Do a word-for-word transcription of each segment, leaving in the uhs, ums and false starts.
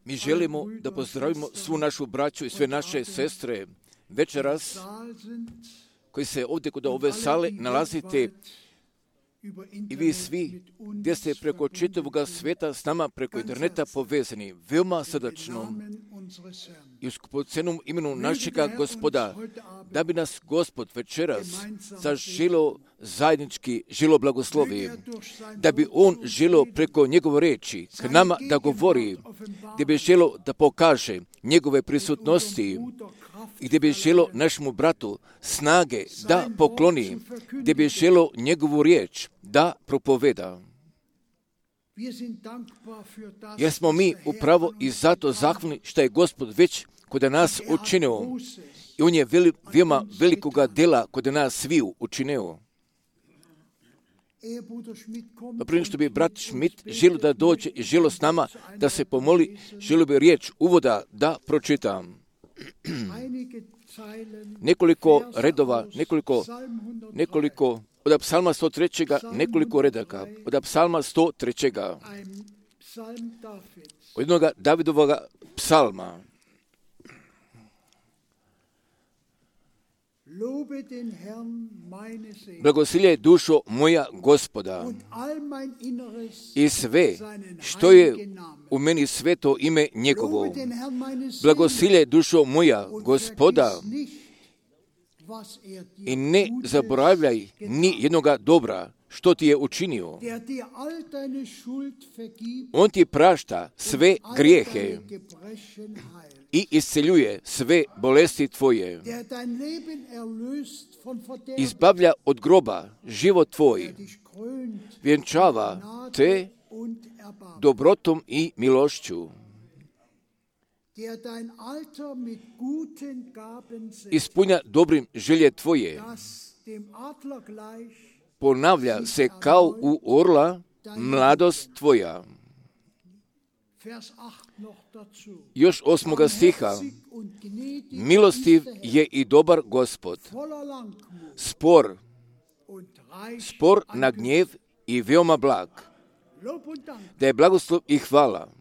Mi želimo da pozdravimo svu našu braću i sve naše sestre večeras koji se ovdje kod ove sale nalazite i vi svi gdje ste preko čitavog svijeta s nama preko interneta povezani. Veoma srdačno i u skupocenom imenu našega Gospoda, da bi nas Gospod večeras zaželo zajednički želo blagoslovi, da bi On želo preko njegove reči k nama da govori, gdje bi želo da pokaže njegove prisutnosti i gdje bi želo našemu bratu snage da pokloni, gdje bi želo njegovu riječ da propoveda. Jer smo mi upravo i zato zahvalni što je Gospod već kod nas učinio i On je veli, veoma velikoga dela kod nas sviju učinio. Prije što bi brat Schmidt želio da dođe i želio s nama da se pomoli, želio bi riječ uvoda da pročitam. Nekoliko redova, nekoliko, nekoliko od psalma sto tri, nekoliko redaka, od psalma sto tri, od jednog Davidovog psalma. Blagosiljaj dušo moja Gospoda i sve što je u meni sveto ime njegovo. Blagosiljaj dušo moja Gospoda i ne zaboravljaj ni jednoga dobra što ti je učinio. On ti prašta sve grijehe i isceljuje sve bolesti tvoje. Izbavlja od groba život tvoj. Vjenčava te dobrotom i milošću. Ispunja dobrim želje tvoje. Ponavlja se kao u orla mladost tvoja. Još osmoga stiha. Milostiv je i dobar Gospod. Spor, spor na gnjev i veoma blag. Da je blagoslov i hvala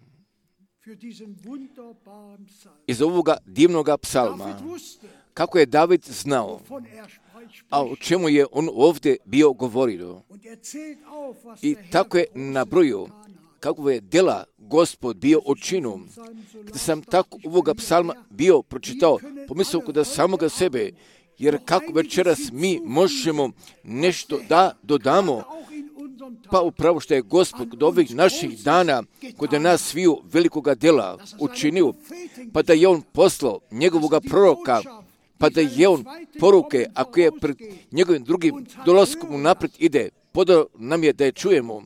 iz ovoga divnoga psalma. Kako je David znao, a o čemu je on ovdje bio govorio. I tako je nabrojio kako je dela Gospod bio učinio. Kada sam tako ovoga psalma bio pročitao, pomislio kod samoga sebe, jer kako večeras mi možemo nešto da dodamo, pa upravo što je Gospod kod ovih naših dana, kod nas sviju velikoga dela učinio, pa da je On poslao njegovoga proroka, pa da je On poruke, ako je pred njegovim drugim dolaskom unaprijed ide, podao nam je da je čujemo,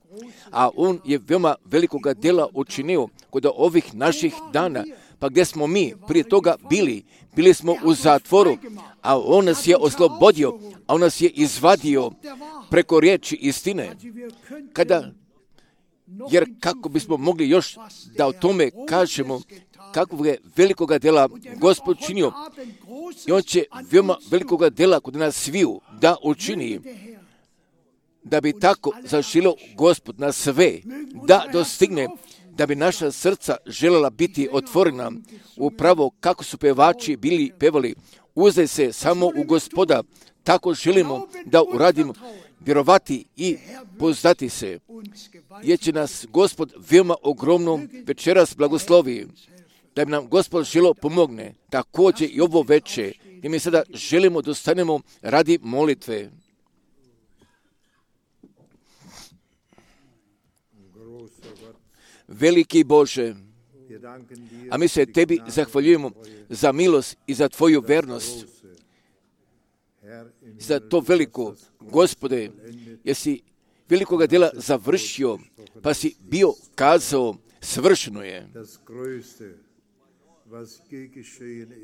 a On je veoma velikoga dela učinio kod ovih naših dana. Pa gdje smo mi prije toga bili? Bili smo u zatvoru, a On nas je oslobodio, a On nas je izvadio preko riječi istine. Kada, jer kako bismo mogli još da o tome kažemo, kakvog je velikoga dela Gospod činio, i On će veoma velikoga dela kod nas sviju da učini, da bi tako zaželio Gospod na sve, da dostigne, da bi naša srca željela biti otvorena, upravo kako su pevači bili pevali, uzdaj se samo u Gospoda, tako želimo da uradimo, vjerovati i poznati se, jer će nas Gospod veoma ogromno večeras blagoslovi, da bi nam Gospod želo pomogne, također i ovo veče, i mi sada želimo da stanemo radi molitve. Veliki Bože, a mi se Tebi zahvaljujemo za milost i za Tvoju vernost, za to veliko, Gospode, jesi velikoga dela završio, pa si bio kazao, svršeno je.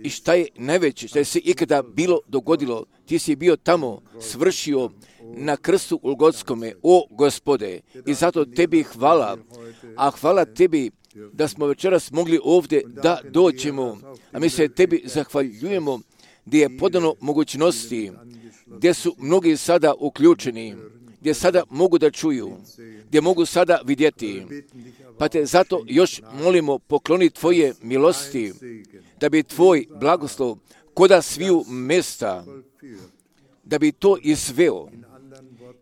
I šta je najveće, što je se ikada bilo dogodilo, ti si bio tamo, svršio na krstu Golgotskome, o Gospode, i zato Tebi hvala, a hvala Tebi da smo večeras mogli ovdje da dođemo, a mi se Tebi zahvaljujemo gdje je podano mogućnosti, gdje su mnogi sada uključeni gdje sada mogu da čuju, gdje mogu sada vidjeti. Pa te zato još molimo, pokloni Tvoje milosti, da bi Tvoj blagoslov koda sviju mjesta, da bi to izveo,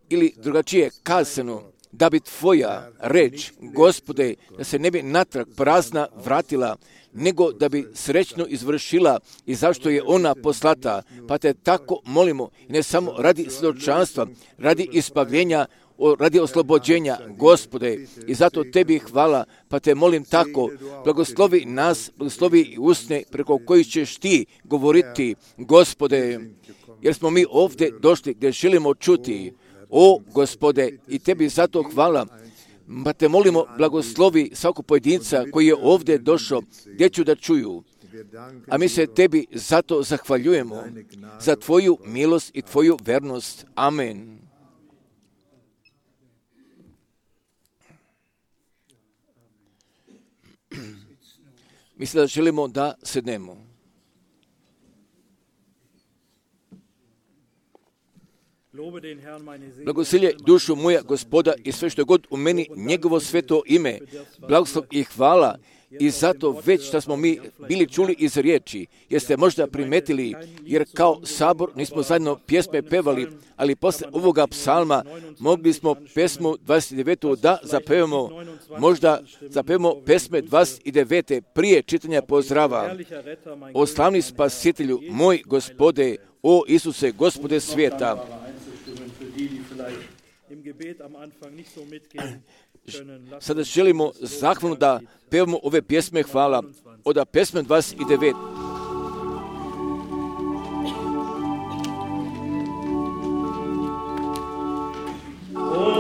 ili drugačije kazano, da bi Tvoja reč, Gospode, da se ne bi natrag prazna vratila, nego da bi srećno izvršila i zašto je ona poslata. Pa te tako molimo, ne samo radi svjedočanstva, radi ispavljenja, radi oslobođenja, Gospode, i zato Tebi hvala, pa te molim tako, blagoslovi nas, blagoslovi i usne preko kojih ćeš Ti govoriti, Gospode, jer smo mi ovdje došli gdje želimo čuti. O, Gospode, i Tebi zato hvala, pa te molimo, blagoslovi svakog pojedinca koji je ovdje došao, gdje ću da čuju. A mi se Tebi zato zahvaljujemo za Tvoju milost i Tvoju vernost. Amen. Mislim da želimo da sednemo. Blagosilje dušu moja Gospoda i sve što je god u meni njegovo sveto ime, blagoslov i hvala. I zato već što smo mi bili čuli iz riječi, jeste možda primetili, jer kao sabor nismo zajedno pjesme pevali, ali posle ovoga psalma mogli smo pesmu dvadeset devetu da zapevamo, možda zapevamo pesme dvadeset devete prije čitanja pozdrava. O slavni spasitelju, moj Gospode, o Isuse, Gospode svijeta. Sada želimo zahvalno da pevamo ove pjesme hvala od pesme dvadeset devet. Thank you.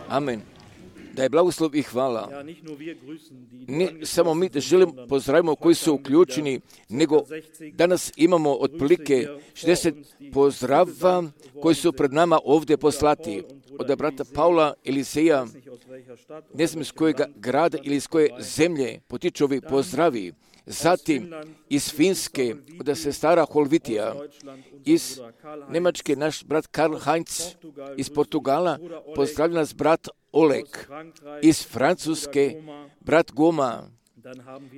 Amen. Da je blagoslov i hvala. Ne samo mi da želim pozdravimo koji su uključeni, nego danas imamo otprilike šezdeset pozdrava koji su pred nama ovdje poslati. Od brata Paula Eliseja, ne znam iz kojeg grada ili iz koje zemlje potiču ovi pozdravi. Zatim iz Finske, od sestara Holvitija, iz Njemačke naš brat Karl Heinz, iz Portugala pozdravlja nas brat Oleg, iz Francuske brat Goma.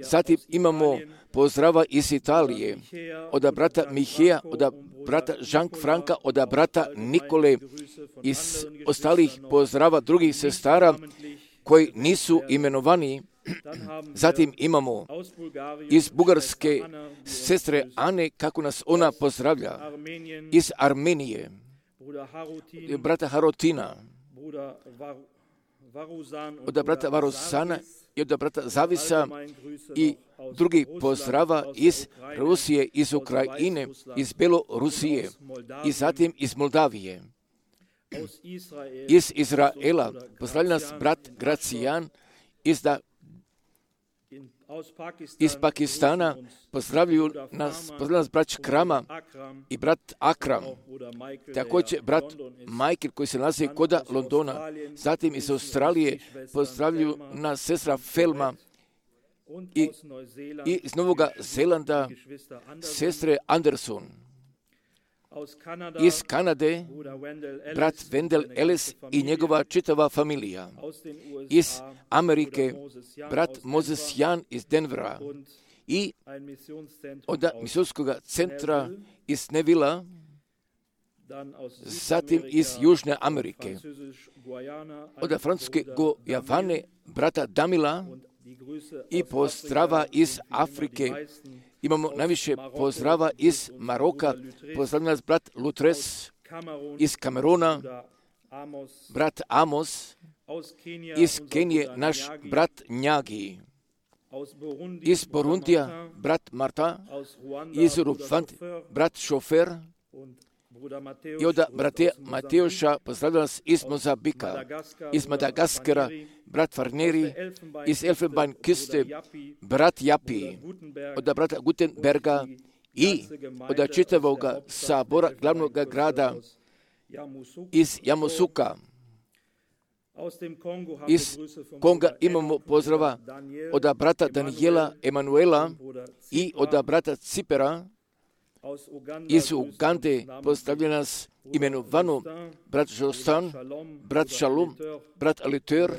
Zatim imamo pozdrava iz Italije, od brata Miheja, od brata Jean-Franka, od brata Nikole, iz ostalih pozdrava drugih sestara koji nisu imenovani. Zatim imamo iz Bugarske sestre Ane, kako nas ona pozdravlja, iz Armenije, brata Harotina, od brata Varusana i od brata Zavisa i drugi pozdrava iz Rusije, iz Ukrajine, iz Belorusije i zatim iz Moldavije. Iz Izraela pozdravlja nas brat Gracijan, iz da iz Pakistana pozdravljaju nas, pozdravljaju nas brat Krama i brat Akram, također brat Michael koji se nalazi kod Londona, zatim iz Australije pozdravljaju nas sestra Felma i, i iz Novog Zelanda sestre Anderson. Iz Kanade brat Wendell Ellis i njegova čitava familija. Iz Amerike brat Moses Jan iz Denvera i od misijskog centra iz Nevilla, zatim iz Južne Amerike, od francuske Gojavane brata Damila i pozdrava iz Afrike. Imamo najviše pozdrava iz Maroka, pozdravlja nas brat Lutres, iz Kameruna, brat Amos, iz Kenije naš brat Njagi, iz Burundija brat Marta, iz Rupfant brat Šofer i od brate Mateoša pozdravlja nas iz Mozambika, iz Madagaskara brat Farneri, iz Elfenbeinküste brat Japi, od brata Gutenberga i od čitavog sabora glavnog grada iz Jamosuka. Iz Konga imamo pozdrava od brata Daniela Emanuela i od brata Cipera. Iz Ugande pozdravlja nas imenovano brat Jostan, brat Shalom, brat Aliteur,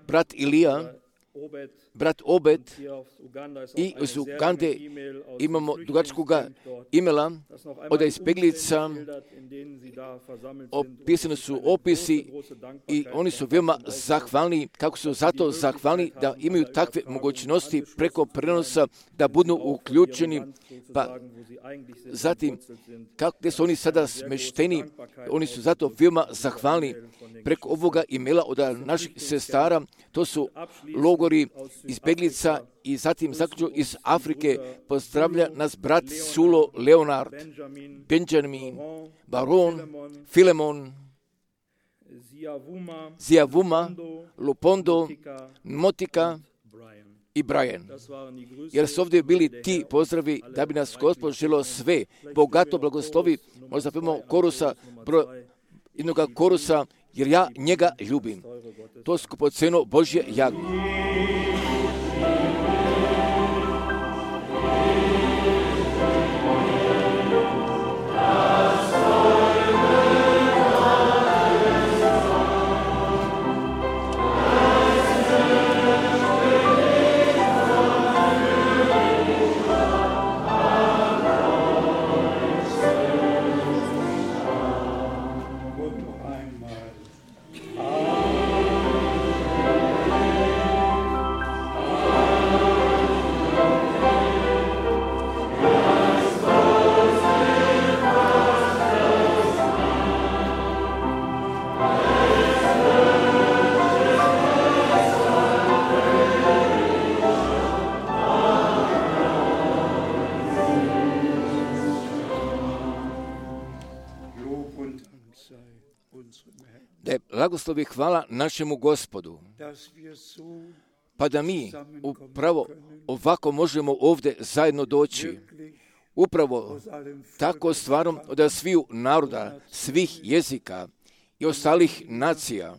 brat Ilija, brat Obed i iz Ugande imamo dugačkog imela od izbjeglica. Opisani su opisi i oni su veoma zahvalni, kako su zato zahvalni da imaju takve mogućnosti preko prenosa da budu uključeni. Pa zatim, kako gdje su oni sada smešteni, oni su zato veoma zahvalni preko ovoga imela od naših sestara. To su logori izbjeglica i zatim zaključno iz Afrike pozdravlja nas brat Sulo Leonard, Benjamin, Baron, Filemon, Ziavuma, Lupondo, Motika i Brian. Jer su ovdje bili ti pozdravi da bi nas Gospod želio sve bogato blagoslovi. Možda pojmo korusa, broj jednog korusa, jer ja njega ljubim. To skupoceno Božje jagnje. da je blagoslov i hvala našemu Gospodu, pa da mi upravo ovako možemo ovdje zajedno doći. Upravo tako stvarom od sviju naroda, svih jezika i ostalih nacija.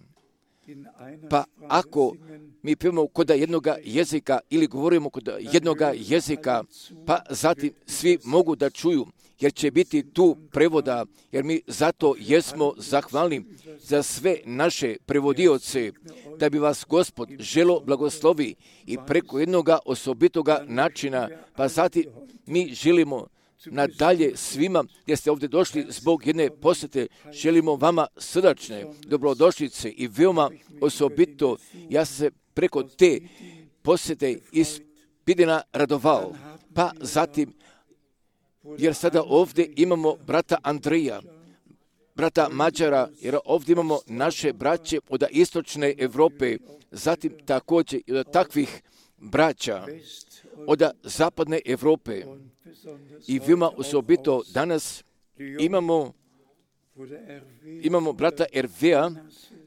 Pa ako mi pijemo kod jednoga jezika ili govorimo kod jednoga jezika, pa zatim svi mogu da čuju, jer će biti tu prevoda, jer mi zato jesmo zahvalni za sve naše prevodioce, da bi vas Gospod želo blagoslovi i preko jednoga osobitoga načina, pa zatim mi želimo nadalje svima gdje ste ovdje došli zbog jedne posjete, želimo vama srdačne dobrodošlice i veoma osobito ja sam se preko te posjete iz Pidina radovao. Pa zatim, jer sada ovdje imamo brata Andreja, brata Mađara, jer ovdje imamo naše braće od istočne Europe, zatim također i od takvih braća od zapadne Europe. I veoma osobito danas imamo, imamo brata Ervea,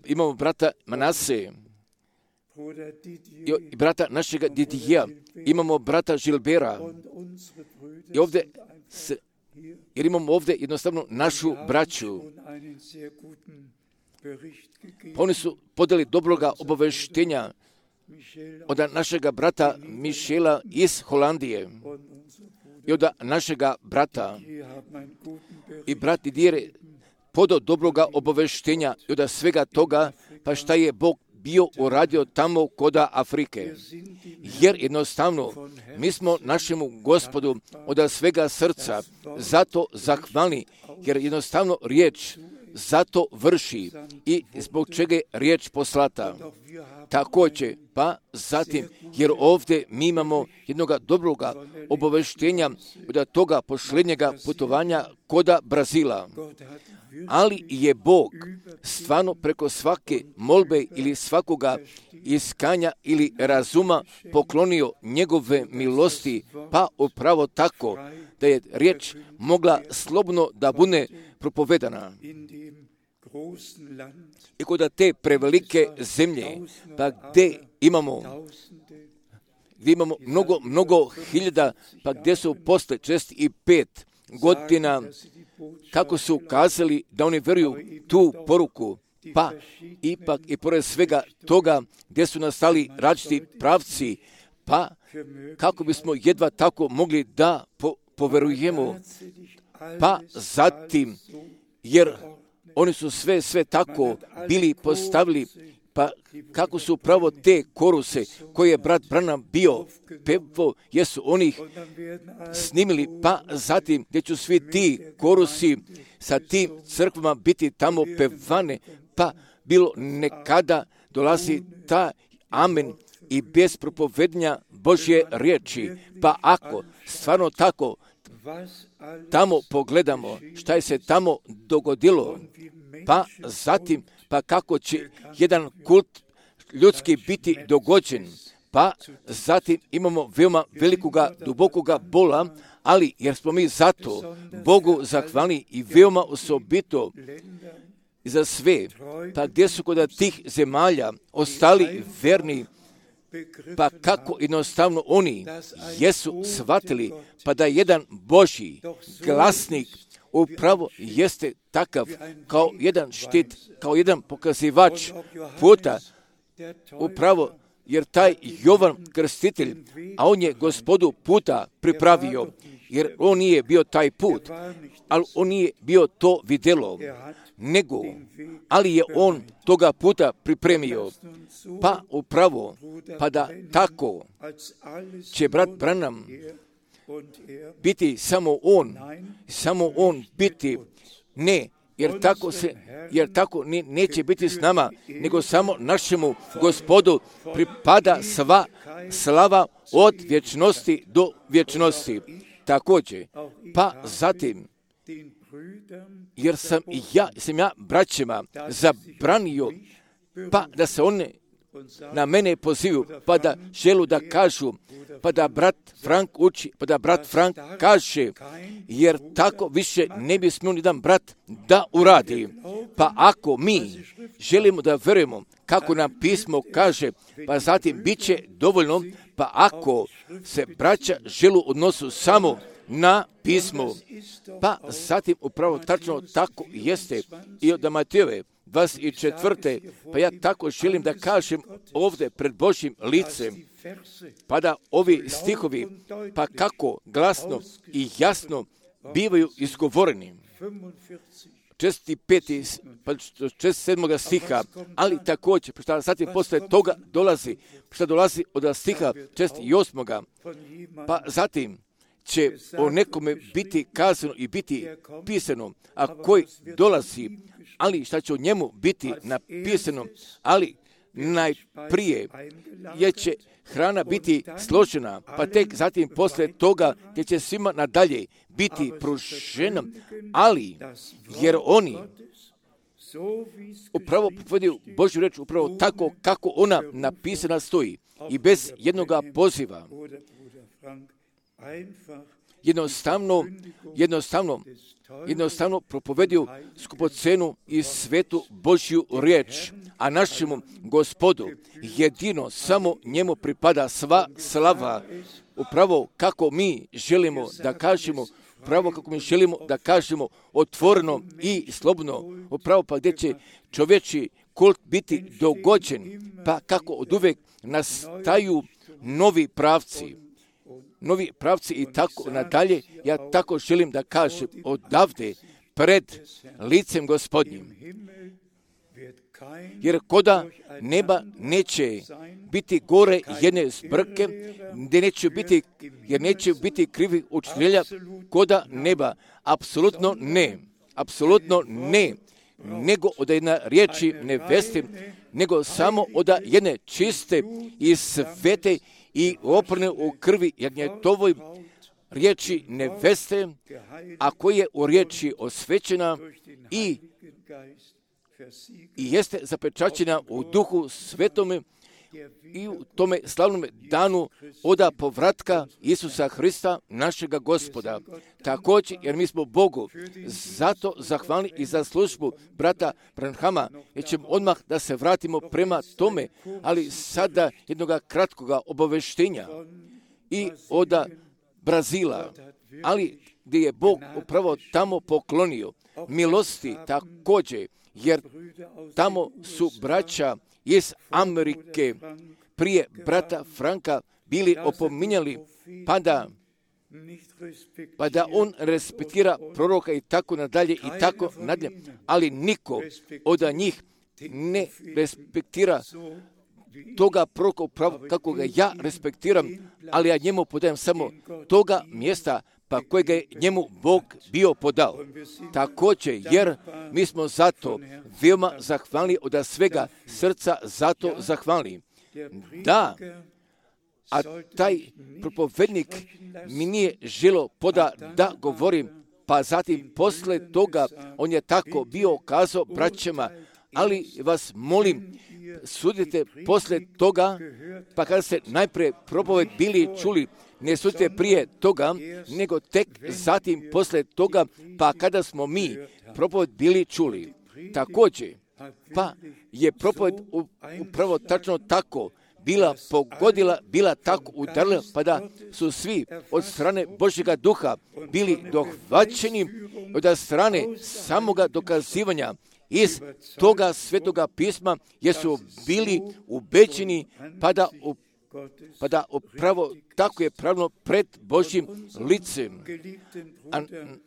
imamo brata Manase, i brata našega Didija, imamo brata Žilbera. I ovdje, se, jer imamo ovdje jednostavno našu braću. Oni su podali dobroga obaveštenja od našega brata Mišela iz Holandije i od našega brata. I brat Didier podao dobroga obaveštenja i od svega toga, pa šta je Bog bio uradio tamo koda Afrike. Jer jednostavno mi smo našemu Gospodu od svega srca zato zahvalni, jer jednostavno riječ zato vrši i zbog čega je riječ poslata. Također, pa zatim, jer ovdje mi imamo jednoga dobroga obaveštenja od toga posljednjega putovanja koda Brazila. Ali je Bog stvarno preko svake molbe ili svakoga iskanja ili razuma poklonio njegove milosti, pa upravo tako da je riječ mogla slobodno da bude propovedana. I kod te prevelike zemlje, pa gdje imamo gdje imamo mnogo, mnogo hiljada, pa gdje su posle četrdeset pet godina kako su ukazali da oni vjeruju tu poruku, pa ipak i pored svega toga gdje su nastali različiti pravci, pa kako bismo jedva tako mogli da po, poverujemo, pa zatim, jer oni su sve, sve tako bili postavili, pa kako su upravo te koruse koje je brat Branham bio pevo, jesu oni snimili, pa zatim gdje će svi ti korusi sa tim crkvama biti tamo pevane, pa bilo nekada dolazi ta amen i bez propovednja Božje riječi. Pa ako stvarno tako tamo pogledamo šta je se tamo dogodilo, pa zatim, pa kako će jedan kult ljudski biti dogođen, pa zatim imamo veoma velikoga, dubokoga bola, ali jer smo mi zato Bogu zahvalni i veoma osobito za sve, pa gdje su kod tih zemalja ostali verni, pa kako jednostavno oni jesu shvatili, pa da jedan Božji glasnik upravo jeste takav kao jedan štit, kao jedan pokazivač puta, upravo jer taj Jovan Krstitelj, a on je Gospodu puta pripravio, jer on nije bio taj put, ali on nije bio to vidjelo, nego, ali je on toga puta pripremio. Pa upravo, pa da tako će brat Branham biti samo on, samo on biti, ne, jer tako se, jer tako ne, neće biti s nama, nego samo našemu Gospodu pripada sva slava od vječnosti do vječnosti. Također, pa zatim, jer sam ja, sam ja braćima zabranio, pa da se one na mene pozivu, pa da želu da kažu, pa da brat Frank uči, pa da brat Frank kaže, jer tako više ne bi smio nijedan brat da uradi. Pa ako mi želimo da verujemo kako nam pismo kaže, pa zatim bit će dovoljno, pa ako se braća želu odnosu samo na pismo, pa zatim upravo tačno tako jeste i od Matejove dvadeset četvrte pa ja tako želim da kažem ovdje pred Božjim licem, pa da ovi stihovi, pa kako glasno i jasno bivaju izgovoreni. šezdeset peti pa šezdeset sedmoga stiha, ali također, šta zatim posle toga dolazi, šta dolazi od stiha šezdeset osmoga pa zatim će o nekome biti kazano i biti pisano, a koji dolazi, ali šta će o njemu biti napisano, ali najprije je će hrana biti složena, pa tek zatim posle toga gdje će svima nadalje biti pružena, ali jer oni upravo povedaju Božju reč upravo tako kako ona napisana stoji i bez jednoga poziva. Jednostavno, jednostavno, jednostavno propovedio skupocenu i svetu Božju riječ, a našemu Gospodu jedino samo njemu pripada sva slava, upravo kako mi želimo da kažemo, upravo kako mi želimo da kažemo otvoreno i slobodno, upravo pa gdje će čovječi kult biti dogođen, pa kako od uvek nastaju novi pravci. Novi pravci i tako nadalje, ja tako želim da kažem odavde pred licem Gospodnjim. Jer koda neba neće biti gore jedne zbrke, gdje neće biti, jer neće biti krivih učitelja, koda neba, apsolutno ne, apsolutno ne, nego od jedne riječi neveste, nego samo od jedne čiste i svete i oprne u krvi jagnjetovoj riječi neveste, a koja je u riječi osvećena i, i jeste zapečaćena u duhu svetome i u tome slavnom danu oda povratka Isusa Hrista, našega Gospoda. Također, jer mi smo Bogu zato zahvalni i za službu brata Branhama, jer ćemo odmah da se vratimo prema tome, ali sada jednoga kratkoga obaveštenja i oda Brazila, ali gdje je Bog upravo tamo poklonio milosti također, jer tamo su braća iz Amerike prije brata Franka bili opominjali, pa da, pa da on respektira proroka i tako nadalje i tako nadalje, ali niko od njih ne respektira toga proroka upravo kako ga ja respektiram, ali ja njemu podajem samo toga mjesta pa kojega je njemu Bog bio podao. Također, jer mi smo zato veoma zahvalni od svega srca, zato zahvalni. Da, a taj propovednik mi nije želo poda da govorim, pa zatim posle toga on je tako bio kazao braćama, ali vas molim, sudite posle toga, pa kada ste najprije propoved bili čuli, ne sudite prije toga, nego tek zatim posle toga, pa kada smo mi propoved bili čuli. Također, pa je propoved upravo tačno tako bila pogodila, bila tako udarila, pa da su svi od strane Božjega duha bili dohvaćeni od strane samoga dokazivanja iz toga svetoga pisma, jer su bili ubeđeni, pa da u pa da upravo tako je pravno pred Božjim licem. A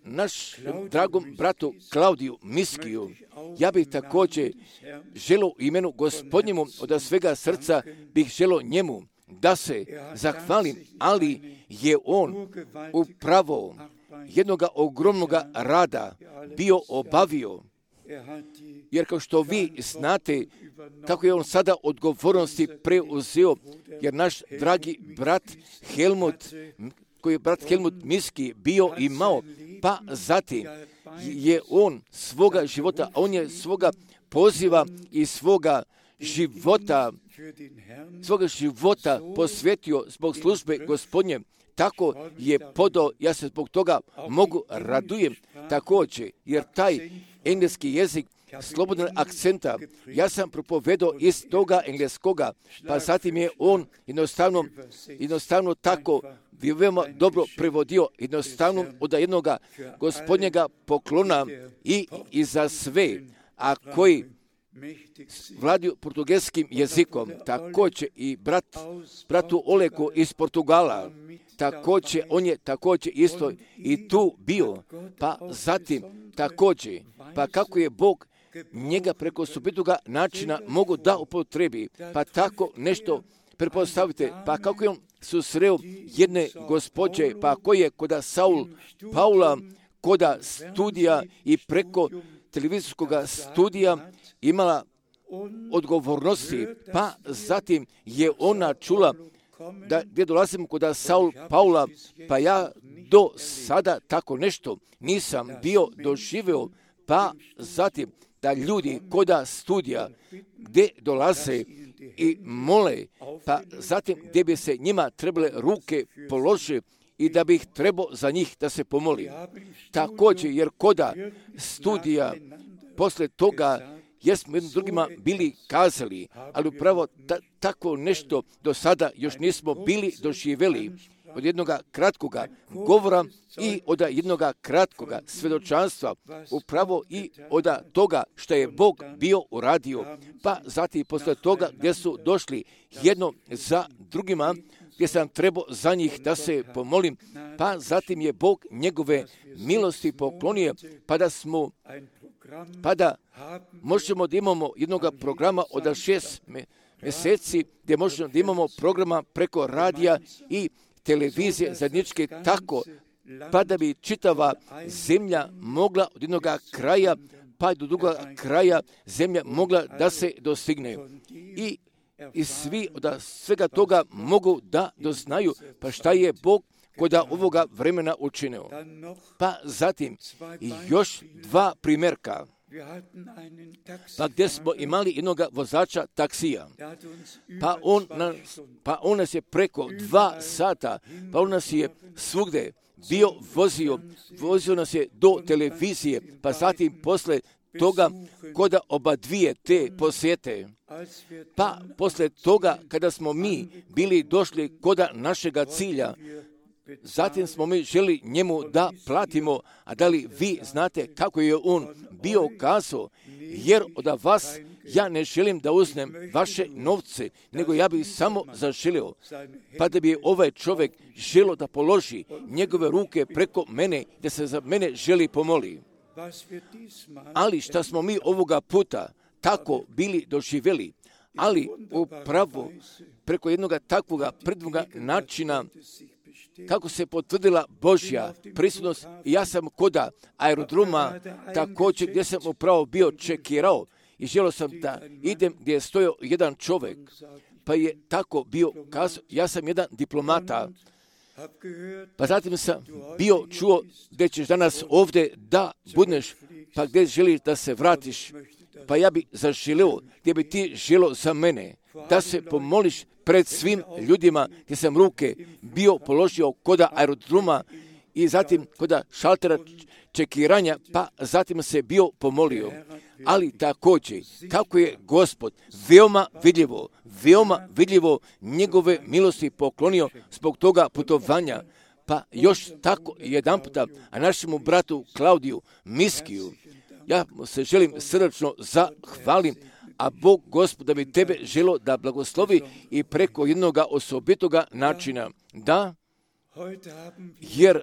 naš dragom bratu Klaudiju Miskiju, ja bih također želo u imenu Gospodnjemu od svega srca bih želo njemu da se zahvalim, ali je on upravo jednoga ogromnoga rada bio obavio. Jer kao što vi znate, kako je on sada odgovornosti preuzeo, jer naš dragi brat Helmut, koji je brat Helmut Miski bio imao, pa zatim je on svoga života, on je svoga poziva i svoga života, svoga života posvetio zbog službe Gospodnje, tako je podao, ja se zbog toga mogu radujem također, jer taj engleski jezik slobodnog akcenta. Ja sam propovedao iz toga engleskoga, pa zatim je on jednostavno, jednostavno tako veoma dobro prevodio, jednostavno od jednog gospodnjega poklona i, i za sve, a koji vladaju portugalskim jezikom, također i brat, bratu Oleku iz Portugala, također, on je također isto i tu bio, pa zatim također, pa kako je Bog njega preko osobitoga načina mogu da upotrebi, pa tako nešto pretpostavite, pa kako je on susreo jedne gospođe, pa koji je koda Saul Paula, koda studija i preko televizijskog studija imala odgovornosti, pa zatim je ona čula da gdje dolazim kod Saul Paula, pa ja do sada tako nešto nisam bio doživio, pa zatim da ljudi koda studija gdje dolaze i mole, pa zatim gdje bi se njima trebale ruke položiti i da bih trebao za njih da se pomoli. Također, jer koda studija posle toga jesmo jednim drugima bili kazali, ali upravo ta, tako nešto do sada još nismo bili doživjeli od jednog kratkoga govora i od jednog kratkoga svjedočanstva, upravo i od toga što je Bog bio uradio, pa zatim posle toga gdje su došli jedno za drugima, gdje sam trebao za njih da se pomolim, pa zatim je Bog njegove milosti poklonio, pa da smo pa da možemo da imamo jednog programa od šest mjeseci, gdje možemo da imamo programa preko radija i televizije zajedničke tako, pa da bi čitava zemlja mogla od jednog kraja pa do drugog kraja zemlja mogla da se dostigne. I, i svi od svega toga mogu da doznaju pa šta je Bog koda ovoga vremena učinio. Pa zatim još dva primjerka. Pa gdje smo imali jednog vozača taksija. Pa on, nas, pa on nas je preko dva sata, pa on nas je svugde bio vozio, vozio nas je do televizije, pa zatim posle toga koda oba dvije te posjete. Pa posle toga kada smo mi bili došli koda našega cilja, zatim smo mi želi njemu da platimo, a da li vi znate kako je on bio kazao, jer od vas ja ne želim da uzmem vaše novce, nego ja bih samo zaželio, pa da bi ovaj čovjek želio da položi njegove ruke preko mene, da se za mene želi pomoli. Ali šta smo mi ovoga puta tako bili doživjeli, ali upravo preko jednog takvoga predvoga načina kako se potvrdila Božja prisutnost. Ja sam koda aerodroma također gdje sam upravo bio čekirao i želio sam da idem gdje je stojao jedan čovjek, pa je tako bio kazao, ja sam jedan diplomata, pa zatim sam bio čuo gdje ćeš danas ovdje da budneš, pa gdje želiš da se vratiš, pa ja bi zaželio gdje bi ti želio za mene da se pomoliš pred svim ljudima gdje sam ruke bio položio koda aerodroma i zatim koda šaltera čekiranja, pa zatim se bio pomolio. Ali također, kako je Gospod veoma vidljivo, veoma vidljivo njegove milosti poklonio zbog toga putovanja, pa još tako jedan puta, a našemu bratu Klaudiju Miskiju, ja se želim srdačno zahvalim, a Bog Gospod da bi tebe želo da blagoslovi i preko jednog osobitoga načina. Da, jer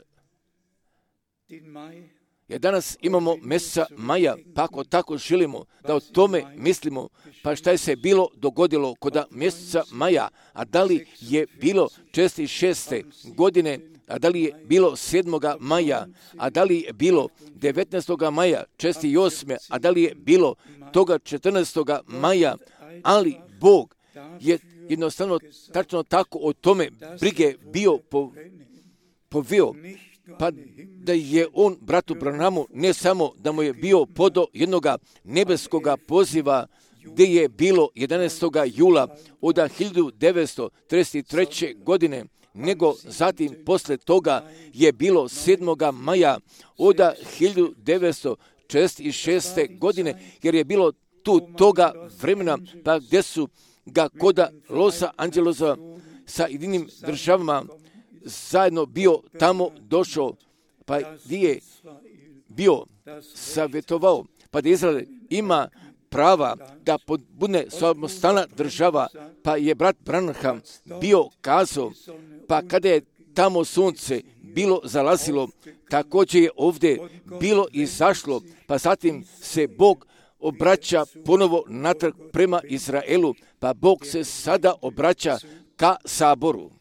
jer danas imamo mjeseca maja, pa ako tako želimo da o tome mislimo, pa šta je se bilo dogodilo kod mjeseca maja, a da li je bilo šezdeset šeste godine, a da li je bilo sedmoga maja, a da li je bilo devetnaestoga maja, šezdeset osme, a da li je bilo toga četrnaestoga maja, ali Bog je jednostavno tačno tako o tome brige bio po, povio, pa da je on bratu Branamu ne samo da mu je bio podo jednog nebeskog poziva gdje je bilo jedanaestog jula od hiljadu devetsto trideset treće. godine, nego zatim posle toga je bilo sedmoga maja od hiljadu devetsto četrdeset šeste godine, jer je bilo tu toga vremena, pa gdje su ga koda Losa Angelosa sa jedinim državama zajedno bio tamo došao, pa gdje je bio savjetovao, pa da Izrael ima prava da bude samostalna država, pa je brat Branham bio kazao, pa kada je tamo sunce bilo zalazilo, također je ovdje bilo izašlo, pa zatim se Bog obraća ponovo natrag prema Izraelu, pa Bog se sada obraća ka saboru.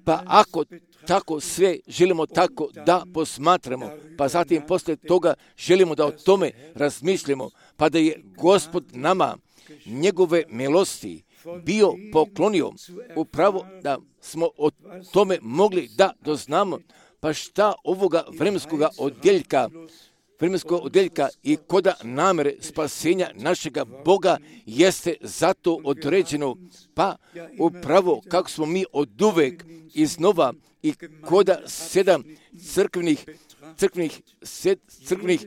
Pa ako tako sve želimo tako da posmatramo, pa zatim poslije toga želimo da o tome razmišljamo, pa da je Gospod nama njegove milosti bio poklonio, upravo da smo o tome mogli da doznamo, pa šta ovoga vremenskoga odjeljka, vremenskog odjeljka i koda namere spasenja našega Boga jeste zato određeno, pa upravo kako smo mi oduvek iznova i koda sedam crkvenih, crkvenih, sed, crkvenih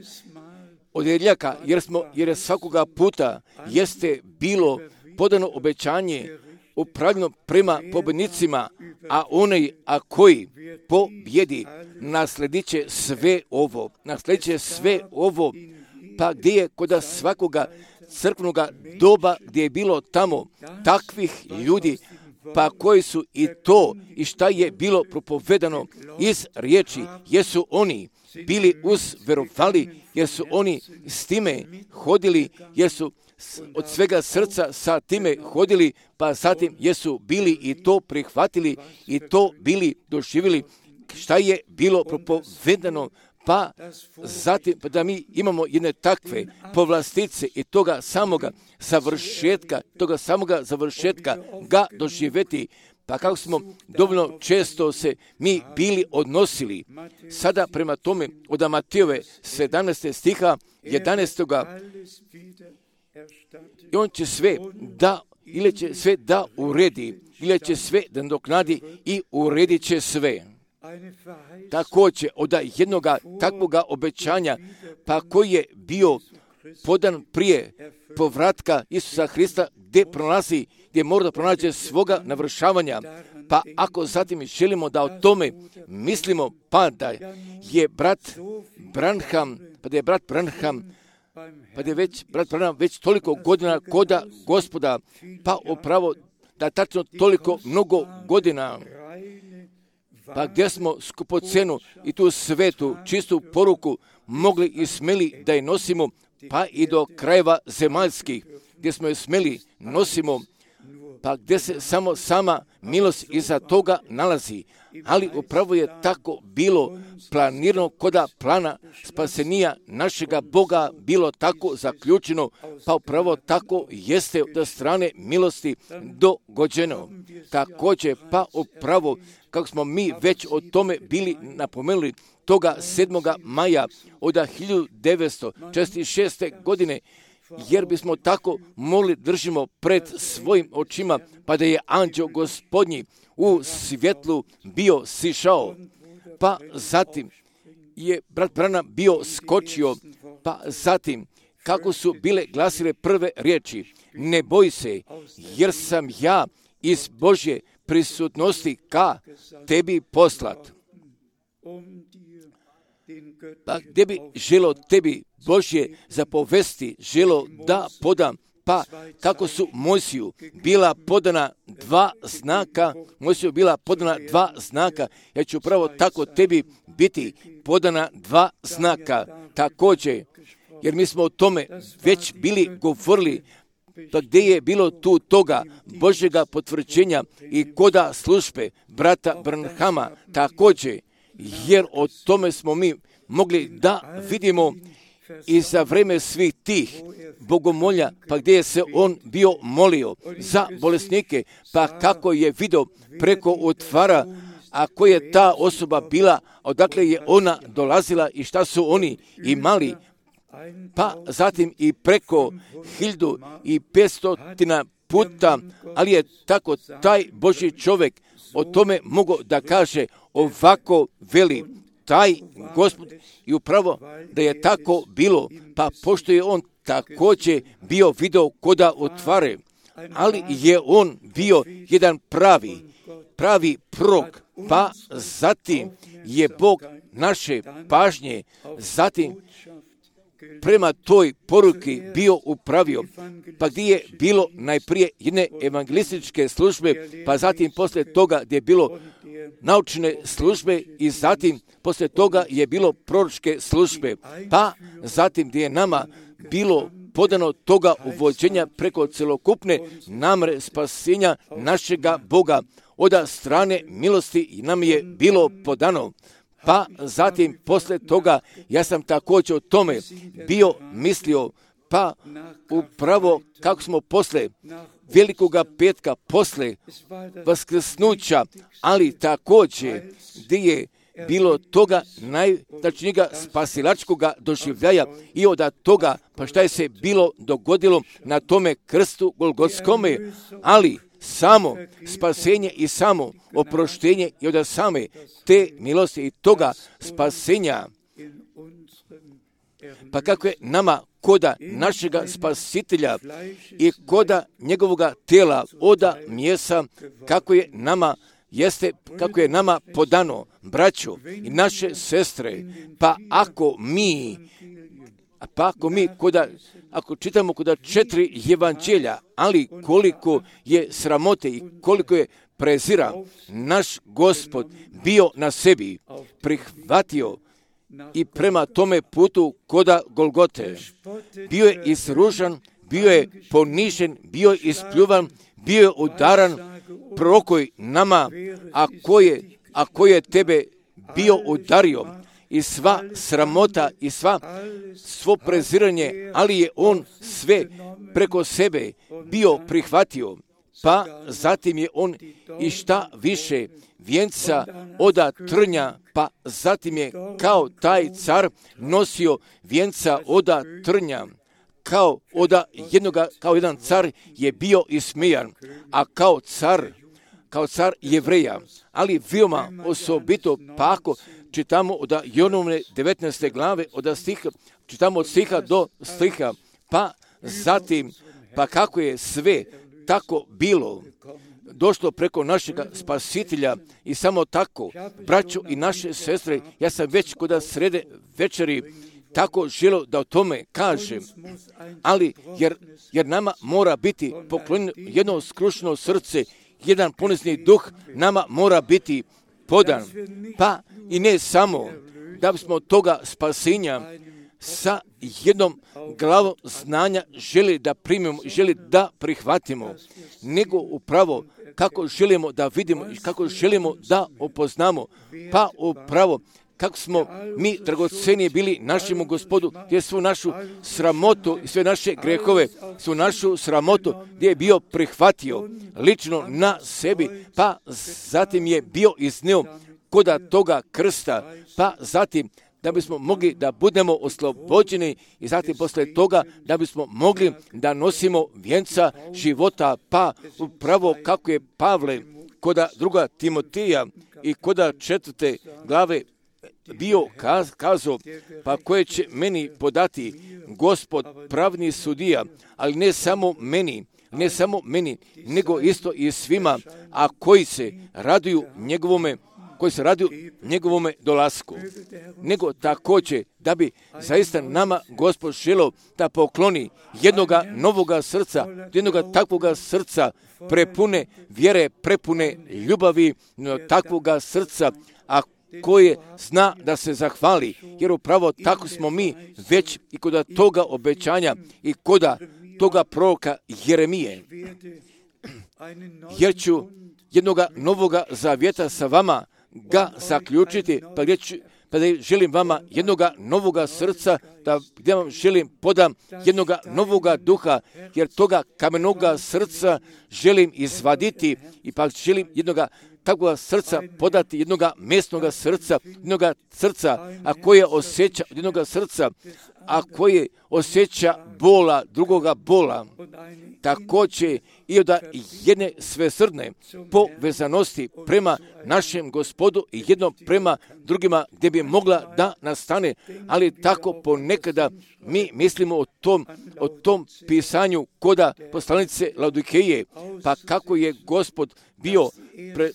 odjeljaka, jer smo, jer je svakoga puta jeste bilo podano obećanje upravljeno prema pobjednicima, a onaj a koji pobjedi nasledit će sve ovo, nasledit će sve ovo, pa gdje je kod svakoga crkvenog doba gdje je bilo tamo takvih ljudi, pa koji su i to i šta je bilo propovedano iz riječi, jesu oni bili uzverovali, jer su oni s time hodili, jer su od svega srca sa time hodili, pa zatim jesu bili i to prihvatili i to bili doživjeli šta je bilo propovedano, pa zatim pa da mi imamo jedne takve povlastice i toga samoga završetka, toga samoga završetka ga doživjeti, pa kako smo dovoljno često se mi bili odnosili. Sada prema tome od Matejove sedamnaestog stiha jedanaestog i on će sve da, ili će sve da uredi, ili će sve da nadoknadi i uredit će sve. Također od jednoga takvoga obećanja, pa koji je bio podan prije povratka Isusa Hrista, gdje prolazi, gdje mora da pronađe svoga navršavanja. Pa ako zatim želimo da o tome mislimo, pa da je brat Branham, pa da je brat Branham, pa da je već, brat Branham već toliko godina koda Gospoda, pa upravo da tačno toliko mnogo godina, pa gdje smo skupocenu i tu svetu, čistu poruku mogli i smeli da je nosimo, pa i do krajeva zemaljskih, gdje smo je smeli nosimo, pa gdje se samo sama milost iza toga nalazi. Ali upravo je tako bilo planirano koda plana spasenija našega Boga bilo tako zaključeno, pa upravo tako jeste od strane milosti dogođeno. Također, pa upravo kako smo mi već o tome bili napomenuli, toga sedmoga maja od hiljadu devetsto četrdeset šeste. godine, jer bismo tako mogli držimo pred svojim očima, pa da je anđeo Gospodnji u svjetlu bio sišao, pa zatim je brat Branham bio skočio, pa zatim kako su bile glasile prve riječi, ne boj se, jer sam ja iz Božje prisutnosti ka tebi poslat. Pa gdje bi želo tebi Božje zapovesti, želo da podam, pa kako su Mojsiju bila podana dva znaka, Mojsiju bila podana dva znaka, ja ću upravo tako tebi biti podana dva znaka također, jer mi smo o tome već bili govorili, pa gdje je bilo tu toga Božjega potvrđenja i koda službe brata Branhama također, jer o tome smo mi mogli da vidimo i za vreme svih tih bogomolja, pa gdje je se on bio molio za bolesnike, pa kako je vidio preko otvara, a koja je ta osoba bila, odakle je ona dolazila i šta su oni imali, pa zatim i preko hiljadu i petstotina puta, ali je tako taj Božji čovjek o tome mogo da kaže ovako veli, taj Gospod i upravo da je tako bilo, pa pošto je on također bio video koda otvare, ali je on bio jedan pravi, pravi prorok, pa zatim je Bog naše pažnje, zatim prema toj poruki bio upravio, pa gdje je bilo najprije jedne evangelističke službe, pa zatim poslije toga gdje je bilo naučne službe i zatim poslije toga je bilo proročke službe, pa zatim gdje je nama bilo podano toga uvođenja preko celokupne namre spasenja našega Boga, od strane milosti nam je bilo podano. Pa zatim poslije toga ja sam također o tome bio mislio, pa upravo kako smo posle velikoga petka, posle vaskrsnuća, ali također gdje je bilo toga najtačnijega spasilačkoga doživljaja i od toga, pa šta je se bilo dogodilo na tome krstu Golgotskome, ali samo spasenje i samo oproštenje i od same te milosti i toga spasenja, pa kako je nama koda našega spasitelja i koda njegovoga tela oda mjesa, kako je nama jeste, kako je nama podano, braćo i naše sestre, pa ako mi pa ako mi koda, ako čitamo koda četiri evanđelja, ali koliko je sramote i koliko je prezira naš Gospod bio na sebi, prihvatio i prema tome putu koda Golgote. Bio je isružan, bio je ponižen, bio je ispljuvan, bio je udaran, prorokoj nama, a ko je, a ko je tebe bio udario, i sva sramota i sva svo preziranje, ali je on sve preko sebe bio prihvatio, pa zatim je on i šta više vijenca oda trnja, pa zatim je kao taj car nosio vijenca oda trnja, kao oda jednoga, kao jedan car je bio ismijan, a kao car, kao car Jevreja, ali veoma osobito, pa ako čitamo od Jonovne devetnaeste glave, od stiha, čitamo od stiha do stiha, pa zatim, pa kako je sve tako bilo došlo preko našega spasitelja i samo tako, braćo i naše sestre, ja sam već kod srede večeri tako želio da o tome kažem, ali jer, jer nama mora biti poklonjeno jedno skrušeno srce, jedan ponizni duh nama mora biti podan, pa i ne samo da bismo toga spasenja sa jednom glavom znanja želi da primimo, želi da prihvatimo, nego upravo kako želimo da vidimo i kako želimo da opoznamo, pa upravo kako smo mi dragoceni bili našemu Gospodu, gdje svu našu sramotu i sve naše grehove, svu našu sramotu gdje je bio prihvatio lično na sebi, pa zatim je bio iznio koda toga krsta, pa zatim da bismo mogli da budemo oslobođeni i zatim posle toga da bismo mogli da nosimo vijenca života, pa upravo kako je Pavle koda druga Timotija i koda četvrte glave bio kaz, kazao, pa koje će meni podati Gospod pravni sudija, ali ne samo meni, ne samo meni, nego isto i svima, a koji se raduju njegovome, koji se raduju njegovome dolasku. Nego također da bi zaista nama Gospod želio da pokloni jednoga novoga srca, jednoga takvoga srca prepune vjere, prepune ljubavi, takvoga srca, a koje zna da se zahvali, jer upravo tako smo mi već i kod toga obećanja i kod toga proroka Jeremije. Jer ću jednoga novoga zavjeta sa vama ga zaključiti, pa gdje ću, pa da želim vama jednoga novoga srca, da gdje vam želim podam jednoga novoga duha, jer toga kamenoga srca želim izvaditi i pa želim jednoga takvoga srca podati, jednoga mesnoga srca, jednoga srca, a koje osjeća od jednoga srca, a koje osjeća bola, drugoga bola, također i od jedne svesrdne povezanosti prema našem Gospodu i jedno prema drugima gdje bi mogla da nastane, ali tako ponekada mi mislimo o tom, o tom pisanju koda poslanice Laodikeje, pa kako je Gospod bio pre,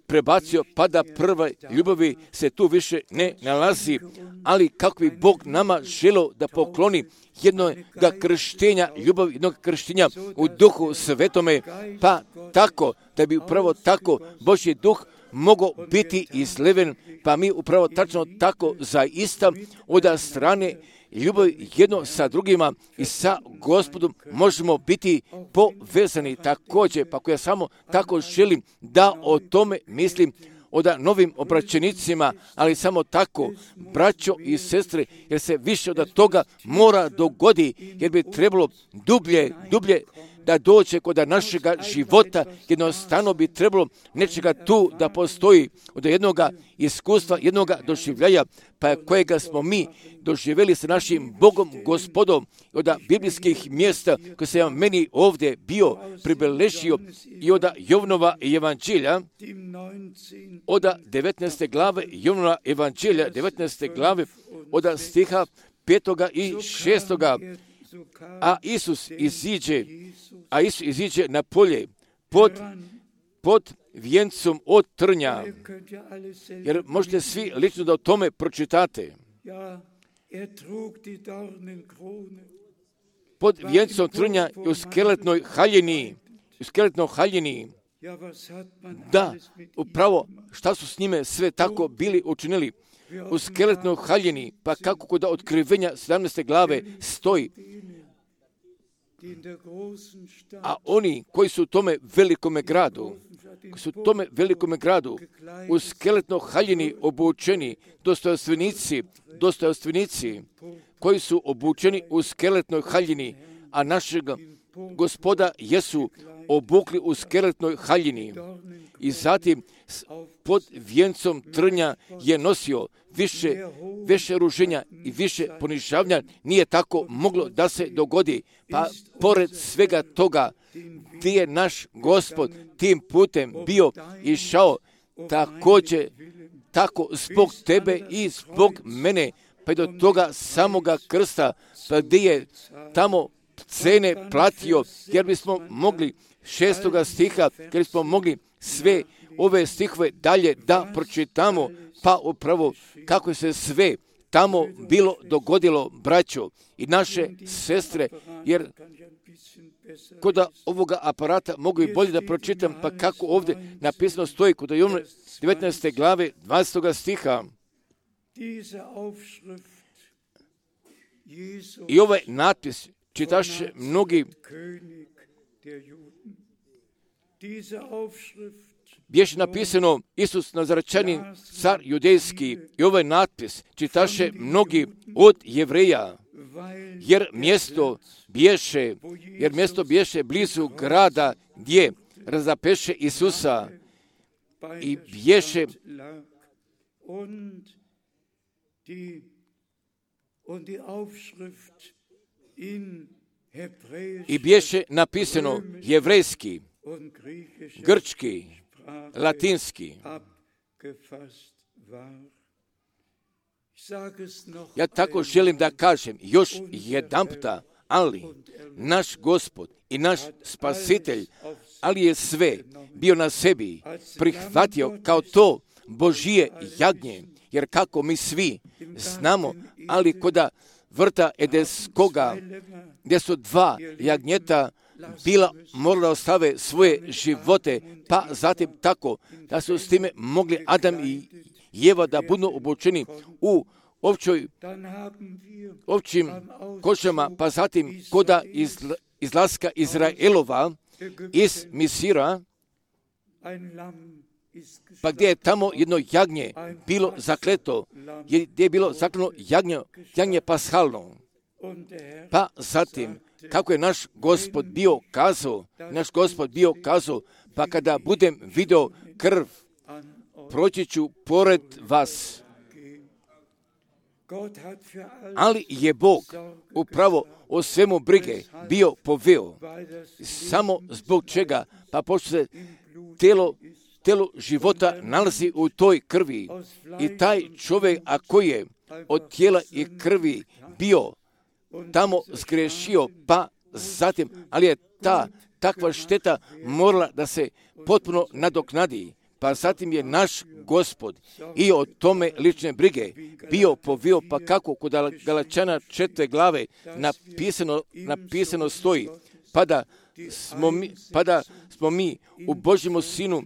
prebacio, pa da prve ljubavi se tu više ne nalazi, ali kako bi Bog nama želio da pokloni jednog krštenja, ljubav jednog krštenja u Duhu Svetome, pa tako da bi upravo tako Božji Duh mogao biti izleven, pa mi upravo tačno tako zaista od strane ljubavi jedno sa drugima i sa Gospodom možemo biti povezani također, pa ako ja samo tako želim da o tome mislim od novim obraćenicima, ali samo tako, braćo i sestre, jer se više od toga mora dogodi, jer bi trebalo dublje, dublje da dođe kod našega života, jednostavno bi trebalo nečega tu da postoji od jednog iskustva, jednog doživljaja, pa kojega smo mi doživjeli sa našim Bogom, Gospodom, od biblijskih mjesta koje sam meni ovdje bio pribeležio i od Jovnova evanđelja, od devetnaeste glave Jovnova evanđelja, devetnaeste glave, od stiha petoga i šestoga, a Isus iziđe, a Isus iziđe na polje pod, pod vijencom od trnja, jer možete svi lično da o tome pročitate. Pod vijencom trnja i u skeletnoj haljini, u skeletnoj haljini, da, upravo šta su s njime sve tako bili učinili, u skeletnoj haljini, pa kako kod otkrivenja sedamnaeste glave stoji, a oni koji su u tome velikome gradu, koji su u tome velikome gradu, u skeletnoj haljini obučeni, dostojanstvenici, dostojanstvenici, koji su obučeni u skeletnoj haljini, a našeg Gospoda jesu obukli u skeletnoj haljini. I zatim pod vijencom trnja je nosio više, više ruženja i više ponižavanja, nije tako moglo da se dogodi. Pa pored svega toga, gdje je naš Gospod tim putem bio išao, također, tako zbog tebe i zbog mene, pa do toga samoga krsta, pa gdje je tamo cene platio, jer bismo mogli šestoga stiha, jer bismo mogli sve ove stihove dalje da pročitamo, pa upravo kako se sve tamo bilo dogodilo, braćo i naše sestre, jer kod ovoga aparata mogu i bolje da pročitam, pa kako ovdje napisano stoji kod Jovnove devetnaeste glave dvanaestog stiha. I ovaj natpis čitaše mnogi, bješe napisano Isus Nazarečanin, car judejski, i ovaj natpis čitaše mnogi od Jevreja, jer mjesto bješe, jer mjesto bješe blizu grada gdje razapeše Isusa i bješe i bješe napisano jevrejski, grčki, latinski. Ja tako želim da kažem još jedanputa, ali naš Gospod i naš Spasitelj, ali je sve bio na sebi prihvatio kao to Božije jagnje, jer kako mi svi znamo, ali koda vrta Edeskoga, gdje su dva jagnjeta bila morala da ostave svoje živote, pa zatim tako da su s time mogli Adam i Jeva da budu obučeni u općoj, općim košama, pa zatim koda iz, izlaska Izraelova iz Misira, pa gdje je tamo jedno jagnje bilo zakleto, gdje je bilo zakleno jagnje, jagnje pashalno. Pa zatim, kako je naš Gospod bio kazao, naš Gospod bio kazao, pa kada budem video krv, proći ću pored vas. Ali je Bog upravo o svemu brige bio poveo. Samo zbog čega? Pa pošto se telo, telo života nalazi u toj krvi i taj čovjek, a koji je od tijela i krvi bio tamo zgrešio, pa zatim, ali je ta takva šteta morala da se potpuno nadoknadi. Pa zatim je naš Gospod i o tome lične brige bio povio, pa kako kod Galačana četvrte glave napisano, napisano stoji, pa da smo mi, pa da smo mi u Božjemu sinu,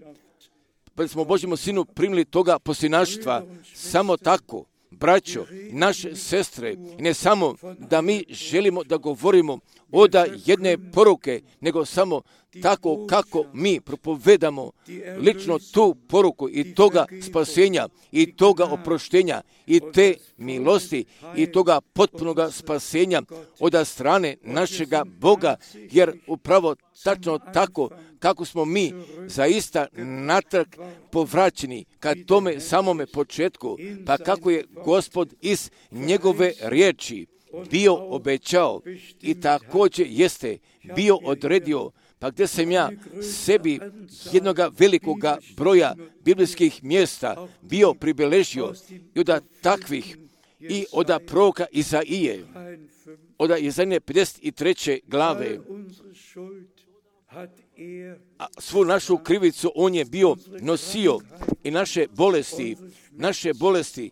pa da smo u Božjemu sinu primili toga posljednaštva, samo tako, braćo, naše sestre, i ne samo da mi želimo da govorimo oda jedne poruke, nego samo tako kako mi propovedamo lično tu poruku i toga spasenja i toga oproštenja i te milosti i toga potpunoga spasenja od strane našega Boga, jer upravo tačno tako kako smo mi zaista natrag povraćeni ka tome samome početku, pa kako je Gospod iz njegove riječi bio obećao i također jeste bio odredio, pa gdje sam ja sebi jednoga velikoga broja biblijskih mjesta bio pribeležio i od takvih i od proroka Izaije, od Izaije pedeset treće glave, a svu našu krivicu on je bio nosio i naše bolesti, naše bolesti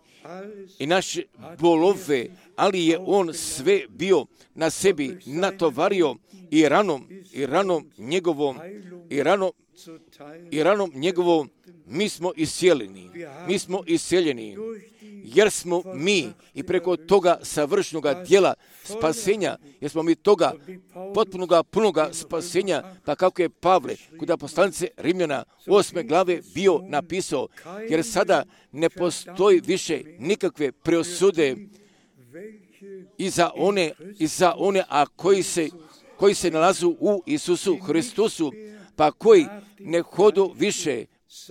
i naše bolove, ali je on sve bio na sebi natovario i ranom, i ranom njegovom, i ranom, i ranom njegovom mi smo iscijeljeni, mi smo iscijeljeni, jer smo mi i preko toga savršenoga djela spasenja, jer smo mi toga potpunoga, punoga spasenja, pa kako je Pavle kod poslanice Rimljana osme glave bio napisao, jer sada ne postoji više nikakve preosude i za one, i za one a koji se, koji se nalazu u Isusu Hristusu, pa koji ne hodu više,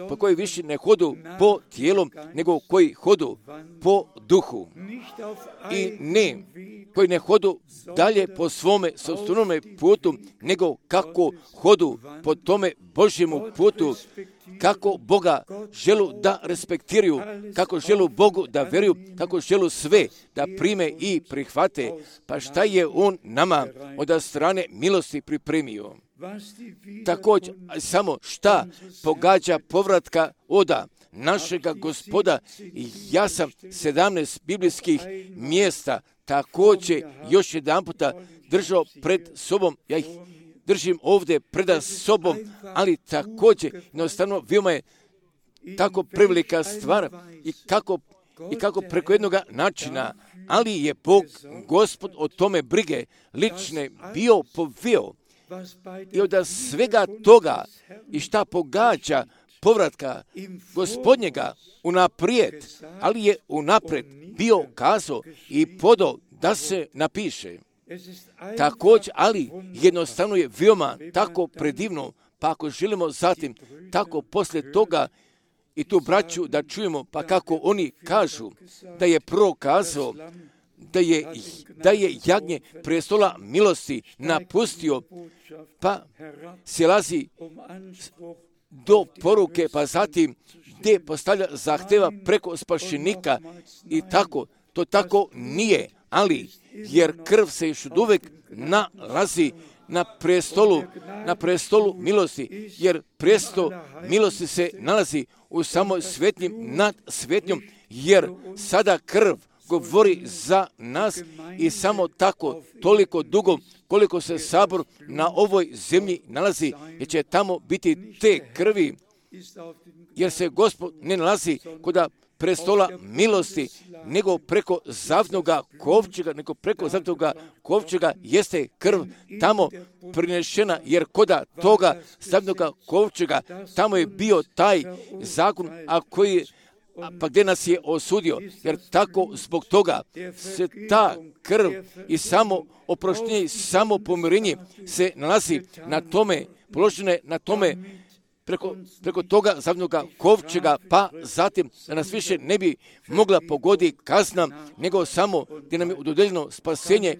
pa koji više ne hodu po tijelom, nego koji hodu po duhu. I ne, koji ne hodu dalje po svome sopstvenome putu, nego kako hodu po tome Božjemu putu, kako Boga želu da respektiraju, kako želu Bogu da veruju, kako želu sve da prime i prihvate, pa šta je On nama od strane milosti pripremio. Također, samo šta pogađa povratka oda našega Gospoda, ja sam sedamnaest biblijskih mjesta također još jedan puta držao pred sobom, ja ih držim ovdje pred sobom, ali također jednostavno veoma je tako prevelika stvar i kako, i kako preko jednog načina, ali je Bog, Gospod o tome brige lične bio poveo. I od svega toga i šta pogađa povratka Gospodnjega unaprijed, ali je unaprijed bio kazao i podao da se napiše. Također, ali jednostavno je veoma tako predivno, pa ako želimo zatim tako poslije toga i tu braću da čujemo, pa kako oni kažu da je prorok kazao da je, da je jagnje prestola milosti napustio, pa silazi do poruke, pa zatim gdje postavlja zahteva preko spašenika i tako, to tako nije, ali jer krv se još uvijek nalazi na prestolu, na prestolu milosti, jer prestol milosti se nalazi u samoj svetnjim nad svetnjom, jer sada krv govori za nas i samo tako toliko dugo koliko se sabor na ovoj zemlji nalazi, jer će tamo biti te krvi, jer se Gospod ne nalazi kod prestola milosti, nego preko zavnoga kovčega, nego preko zavnoga kovčega jeste krv tamo prinešena, jer koda toga zavnoga kovčega tamo je bio taj zakon, a koji A pa gdje nas je osudio, jer tako zbog toga se ta krv i samo oproštenje i samo pomirenje se nalazi na tome, položene na tome preko, preko toga zavnoga kovčega, pa zatim da nas više ne bi mogla pogodi kazna, nego samo gdje nam je dodeljeno spasenje,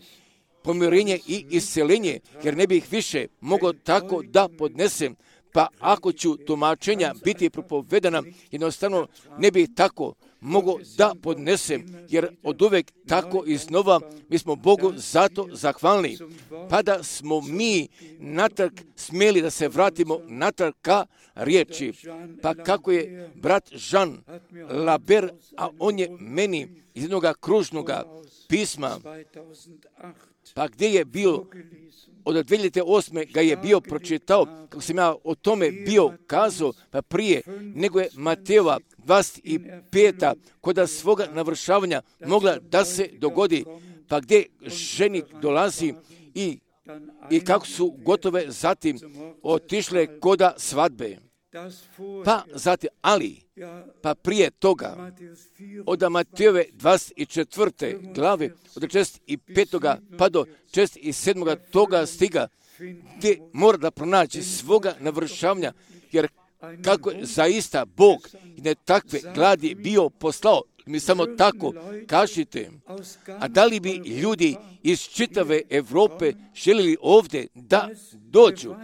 pomirenje i isceljenje, jer ne bih više mogao tako da podnesem. Pa ako ću tumačenja biti propovedana, jednostavno ne bih tako mogu da podnesem, jer od uvek tako iznova mi smo Bogu zato zahvalni. Pa da smo mi natrag smjeli da se vratimo natrag ka riječi. Pa kako je brat Jean Laber, a on je meni iz jednog kružnog pisma, pa gdje je bio od dvije hiljade osme ga je bio pročitao, kako sam ja o tome bio kazao, pa prije nego je Matejova dvadeset peta kod svoga navršavanja mogla da se dogodi, pa gdje ženik dolazi i, i kako su gotove zatim otišle koda svadbe. Pa zatim, ali, pa prije toga, od Matejove dvadeset četvrte glave, od šezdeset petoga pa do šezdeset sedmoga toga stiga, gdje mora da pronaći svoga navršavanja, jer kako je zaista Bog i ne takve gladi bio poslao, mi samo tako kažite. A da li bi ljudi iz čitave Europe željeli ovdje da dođu,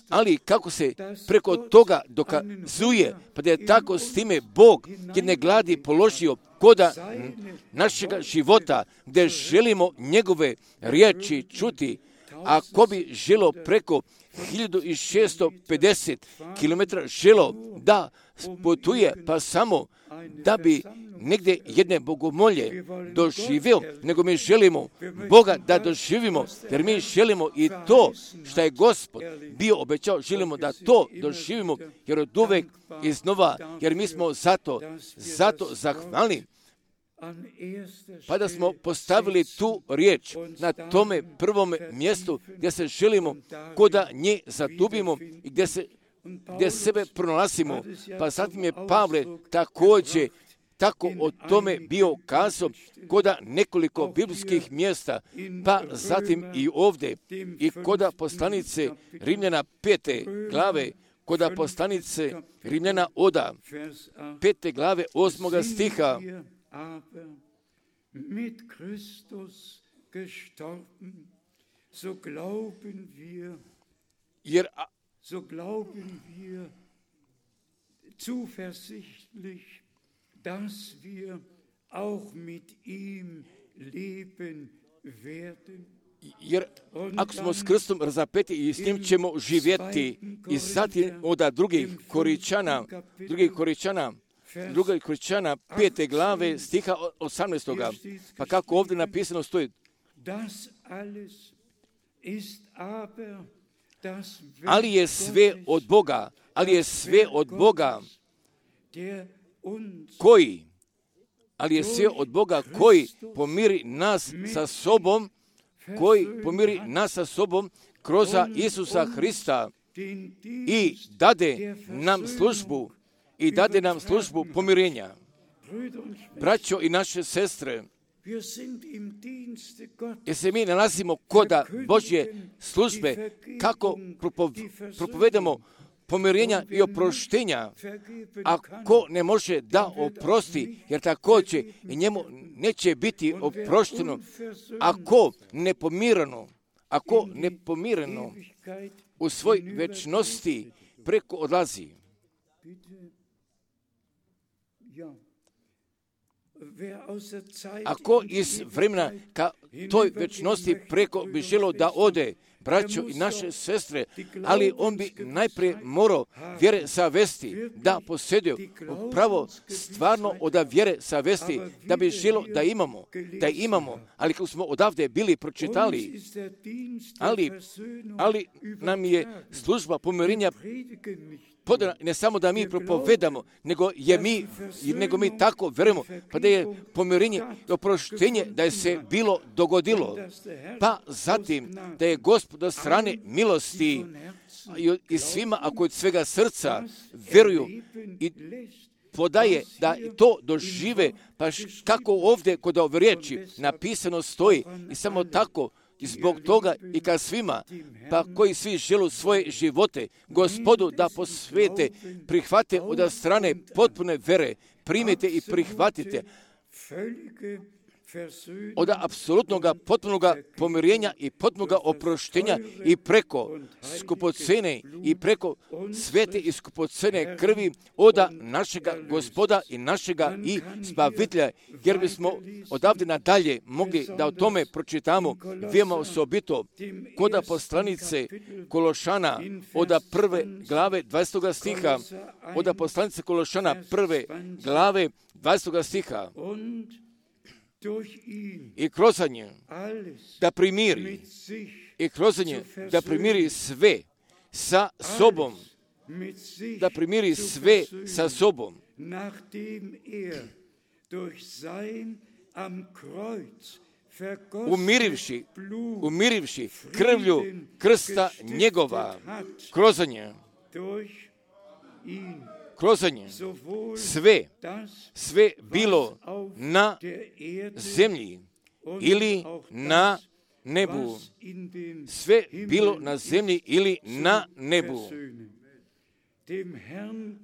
ali kako se preko toga dokazuje, pa da je tako s time Bog jedne gladi položio koda našega života, gdje želimo njegove riječi čuti, a ko bi želo preko hiljadu šeststo pedeset kilometara želo da putuje, pa samo da bi negdje jedne bogomolje doživio, nego mi želimo Boga da doživimo, jer mi želimo i to što je Gospod bio obećao, želimo da to doživimo, jer od uvek iznova, jer mi smo zato, zato zahvalni. Pa da smo postavili tu riječ na tome prvom mjestu gdje se želimo koda nje zatubimo i gdje, se, gdje sebe pronalazimo. Pa zatim je Pavle također tako o tome bio kazao koda nekoliko biblijskih mjesta, pa zatim i ovdje i koda poslanice Rimljana pete glave, koda poslanice Rimljana oda pete glave osmoga stiha. Aber mit Christus gestorben, so glauben wir, jer, so glauben wir zuversichtlich, dass wir auch mit ihm leben werden. Jer ako smo s Kristom razapeti i s njim ćemo živjeti. I zatim od drugih Koričana, drugih Koričana, Druga Koričana, pete glave, stiha osamnaestoga. Pa kako ovdje napisano stoji, ali je sve od Boga, ali je sve od Boga koji, ali je sve od Boga koji pomiri nas sa sobom, koji pomiri nas sa sobom kroz Isusa Hrista i dade nam službu, i dade nam službu pomirenja. Braćo i naše sestre, jer se mi nalazimo koda Božje službe, kako propovedamo pomirenja i oproštenja, a ko ne može da oprosti, jer također i njemu neće biti oprošteno, ako nepomirano, ako nepomirano u svoj večnosti preko odlazi. Ako iz vremena ka toj večnosti preko bi želo da ode, braćo i naše sestre, ali on bi najprije morao vjere savesti da posjedio, pravo stvarno od vjere savesti, da bi želo da imamo, da imamo, ali kako smo odavde bili pročitali, ali, ali nam je služba pomirenja podana, ne samo da mi propovedamo, nego je mi, nego mi tako verujemo, pa da je pomirenje i oproštenje da je se bilo dogodilo, pa zatim da je Gospod od strane milosti i, i svima, ako od svega srca veruju i podaje da to dožive, pa kako ovdje kod ove riječi napisano stoji i samo tako I zbog toga i ka svima, pa koji svi žele svoje živote Gospodu da posvete, prihvate od strane potpune vere, primite i prihvatite od apsolutnog potpunog pomirenja i potpunog oproštenja i preko skupocene i preko svete i skupocene krvi od našega Gospoda i našega i Spavitelja, jer bismo odavde nadalje mogli da o tome pročitamo veoma osobito kod poslanice Kološana od prve glave dvadesetog stiha, od poslanice Kološana prve glave dvadesetog stiha. I kroz nje da primiri, i kroz nje da primiri sve sa sobom, da primiri sve sa sobom. Umirivši, umirivši krvlju krsta njegova, kroz nje, kroz nje, sve, sve bilo na zemlji ili na nebu, sve bilo na zemlji ili na nebu.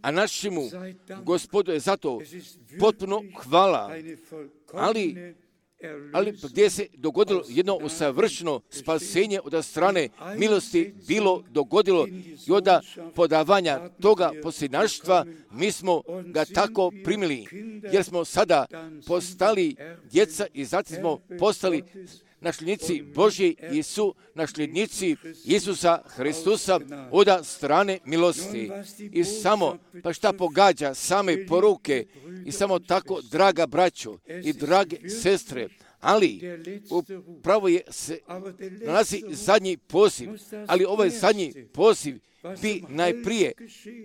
A našemu Gospodu je zato potpuno hvala, ali ali gdje se dogodilo jedno usavršeno spasenje od strane milosti bilo dogodilo i od podavanja toga posljednaštva, mi smo ga tako primili, jer smo sada postali djeca i zatim smo postali nasljednici Božji i su nasljednici Isusa Hristusa od strane milosti. I samo, pa šta pogađa same poruke i samo tako, draga braćo i drage sestre, ali upravo je se nalazi zadnji poziv, ali ovaj zadnji poziv bi najprije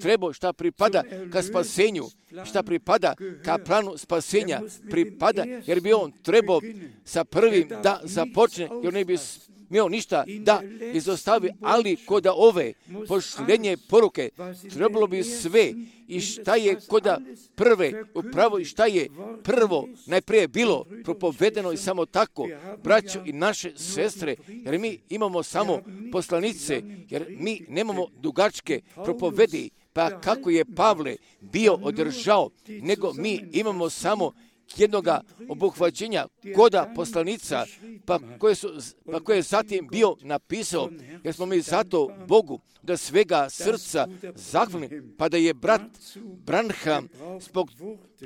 trebao šta pripada ka spasenju, šta pripada ka planu spasenja, pripada, jer bi on trebao sa prvim da započne, jer ne bi smio ništa da izostavi, ali kod ove pošljenje poruke trebalo bi sve i šta je kod prve upravo i šta je prvo najprije bilo propovedeno i samo tako, braćo i naše sestre, jer mi imamo samo poslanice, jer mi nemamo dugačke propovedi, pa kako je Pavle bio održao, nego mi imamo samo jednoga obuhvaćenja koda poslanica, pa koje, su, pa koje je zatim bio napisao, jer smo mi zato Bogu da svega srca zahvalni, pa da je brat Branham zbog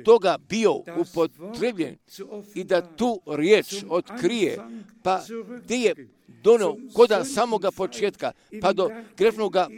toga bio upotrebljen i da tu riječ otkrije, pa gdje je donio koda samoga početka, pa do grefnoga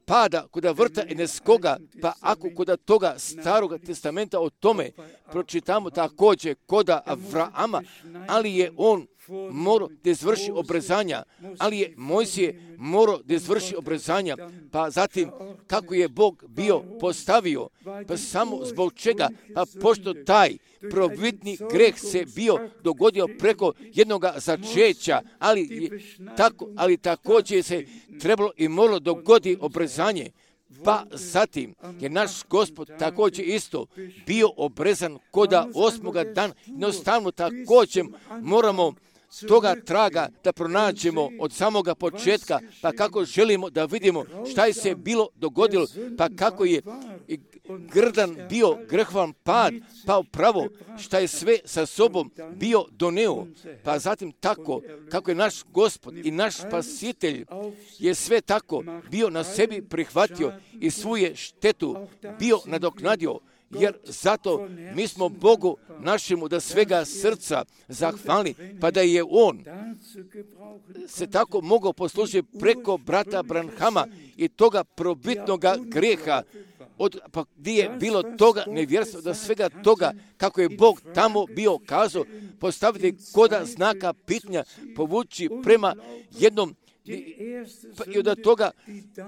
pada kod vrta Eneskoga, pa ako kod toga staroga testamenta o tome pročitamo također kod Avrama, ali je on morao da izvrši obrezanja, ali je Mojsije morao da izvrši obrezanja, pa zatim kako je Bog bio postavio, pa samo zbog čega, pa pošto taj prvobitni greh se bio dogodio preko jednog začeća, ali, tako, ali također se trebalo i moralo dogodi obrezanje, pa zatim je naš Gospod također isto bio obrezan koda osmoga dana. Jednostavno također moramo toga traga da pronađemo od samoga početka, pa kako želimo da vidimo šta je se bilo dogodilo, pa kako je grdan bio grehvan pad, pa upravo šta je sve sa sobom bio doneo, pa zatim tako kako je naš Gospod i naš Spasitelj je sve tako bio na sebi prihvatio i svoje štetu bio nadoknadio, jer zato mi smo Bogu našemu da svega srca zahvalni, pa da je on se tako mogao poslužiti preko brata Branhama i toga probitnog greha, od, pa gdje je bilo toga nevjerstva, da svega toga kako je Bog tamo bio kazao, postaviti koda znaka pitanja, povući prema jednom i od toga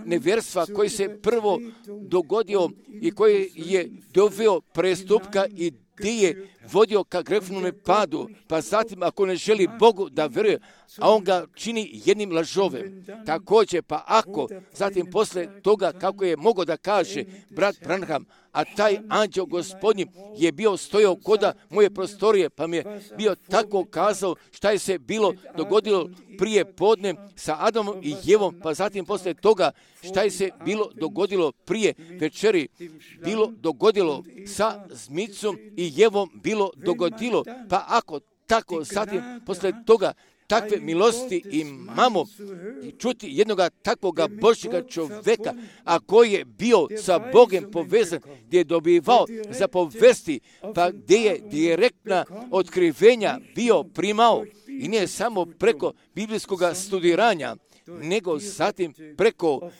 nevjerstva koji se prvo dogodio i koji je doveo prestupka i gdje je vodio ka grefnome padu, pa zatim ako ne želi Bogu da veruje, a on ga čini jednim lažovem. Također, pa ako zatim posle toga kako je mogao da kaže brat Branham, a taj anđeo gospodnji je bio stojao koda moje prostorije, pa mi je bio tako kazao šta je se bilo dogodilo prije podne sa Adamom i Jevom, pa zatim posle toga šta je se bilo dogodilo prije večeri, bilo dogodilo sa zmicom i Jevom, bilo dogodilo, pa ako tako zatim posle toga takve milosti imamo i čuti jednoga takvoga Božjega čoveka, a koji je bio sa Bogom povezan, gdje je dobivao za povesti, pa gdje je direktna otkrivenja bio primao i nije samo preko biblijskog studiranja, nego zatim preko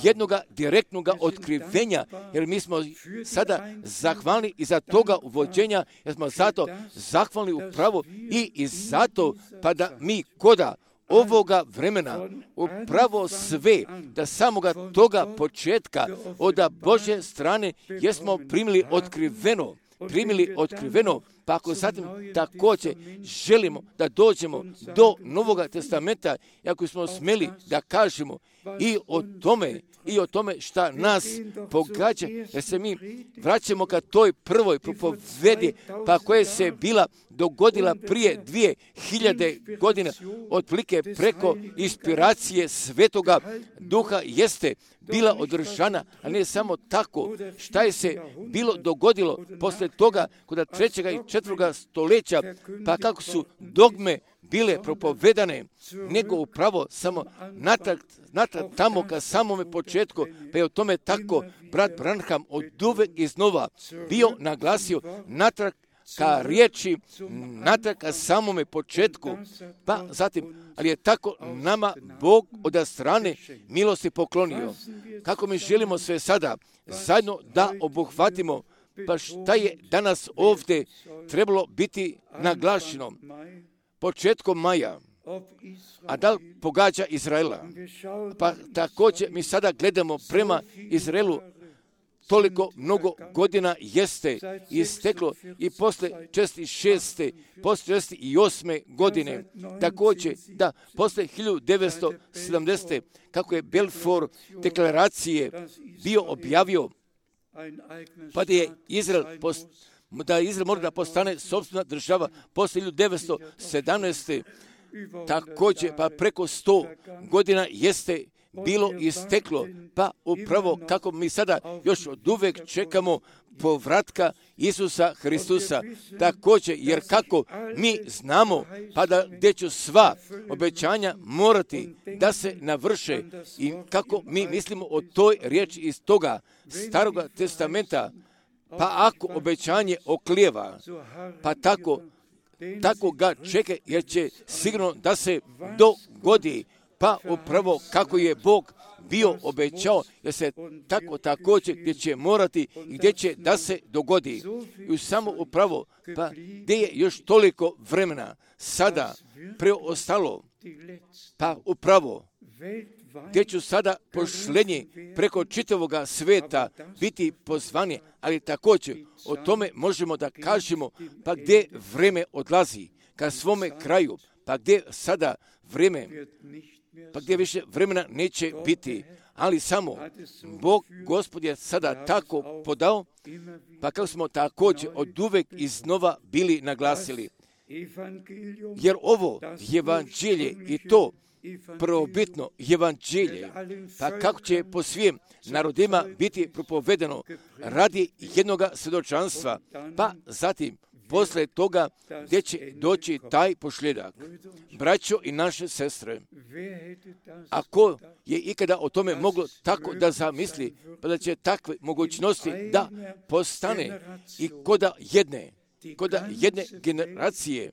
jednoga direktnoga otkrivenja, jer mi smo sada zahvalni i za toga uvođenja, jer smo zato zahvalni upravo i, i zato pa da mi koda ovoga vremena upravo sve, da samoga toga početka od Božje strane jesmo primili otkriveno, primili otkriveno, pa ako zatim također želimo da dođemo do Novoga testamenta, i ako smo smeli da kažemo i o tome, i o tome šta nas pogađa, jer se mi vraćamo ka toj prvoj propovedi, pa koja se bila dogodila prije dvije hiljade godina, otprilike preko inspiracije Svetoga Duha jeste bila održana, a ne samo tako šta je se bilo dogodilo posle toga kod trećega i četvrtoga stoljeća, pa kako su dogme bile propovedane, nego upravo samo natrag, natrag tamo ka samome početku, pa je o tome tako brat Branham od uvek iznova bio naglasio natrag ka riječi, natrag ka samome početku, pa zatim, ali je tako nama Bog od strane milosti poklonio. Kako mi želimo sve sada zajedno da obuhvatimo, pa šta je danas ovdje trebalo biti naglašeno početkom maja, a da li pogađa Izraela? Pa također mi sada gledamo prema Izraelu, toliko mnogo godina jeste isteklo i posle četrdeset šeste, posle četrdeset osme godine, također da posle hiljadu devetsto sedamdesete kako je Balfour deklaracije bio objavio, pa da je Izrael post, da Izrael mora da postane sopstvena država posle hiljadu devetsto sedamnaeste. Također, pa preko sto godina jeste bilo isteklo, pa upravo kako mi sada još od uvek čekamo povratka Isusa Hristusa. Također, jer kako mi znamo, pa da gdje će sva obećanja morati da se navrše i kako mi mislimo o toj riječi iz toga Staroga testamenta, pa ako obećanje oklijeva, pa tako, tako ga čeka, jer će sigurno da se dogodi, pa upravo kako je Bog bio obećao, jer se tako također gdje će morati i gdje će da se dogodi. I samo upravo, pa gdje je još toliko vremena sada preostalo, pa upravo gdje ću sada pošlenje preko čitavoga sveta biti pozvani, ali također o tome možemo da kažemo, pa gdje vreme odlazi ka svome kraju, pa gdje sada vreme, pa gdje više vremena neće biti, ali samo Bog Gospod je sada tako podao, pa kako smo također od uvek iznova bili naglasili. Jer ovo evanđelje i to prvobitno evanđelje, pa kako će po svim narodima biti propovedeno radi jednoga svjedočanstva, pa zatim posle toga gdje će doći taj pošljedak. Braćo i naše sestre, ako je ikada o tome moglo tako da zamisli, pa da će takve mogućnosti da postane i koda jedne, koda jedne generacije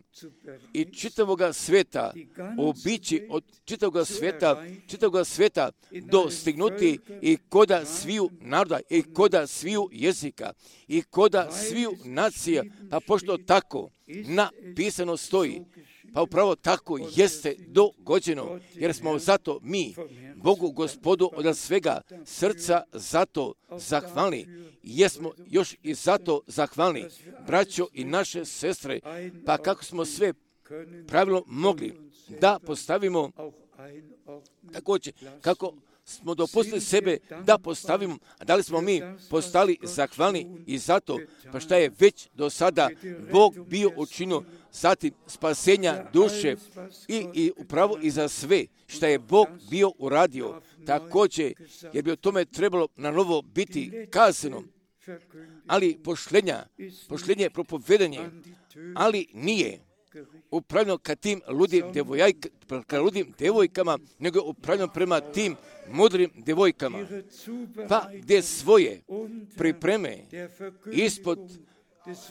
i čitavoga sveta obići od čitavoga sveta, čitavoga sveta dostignuti i koda sviju naroda i koda sviju jezika i koda sviju nacija, pa pošto tako napisano stoji, pa upravo tako jeste dogođeno, jer smo zato mi, Bogu Gospodu od svega srca zato zahvalni. Jesmo još i zato zahvalni, braćo i naše sestre, pa kako smo sve pravilno mogli da postavimo također, kako smo dopustili sebe da postavimo, a da li smo mi postali zahvalni i zato, pa šta je već do sada Bog bio učinio, zatim spasenja duše i, i upravo i za sve šta je Bog bio uradio, također, jer bi o tome trebalo na novo biti kazano, ali pošlenja, pošlenje propovedanje, ali nije upravljeno ka tim ludim, devojajka, ka ludim devojkama, nego upravljeno prema tim mudrim devojkama, pa gdje svoje pripreme ispod,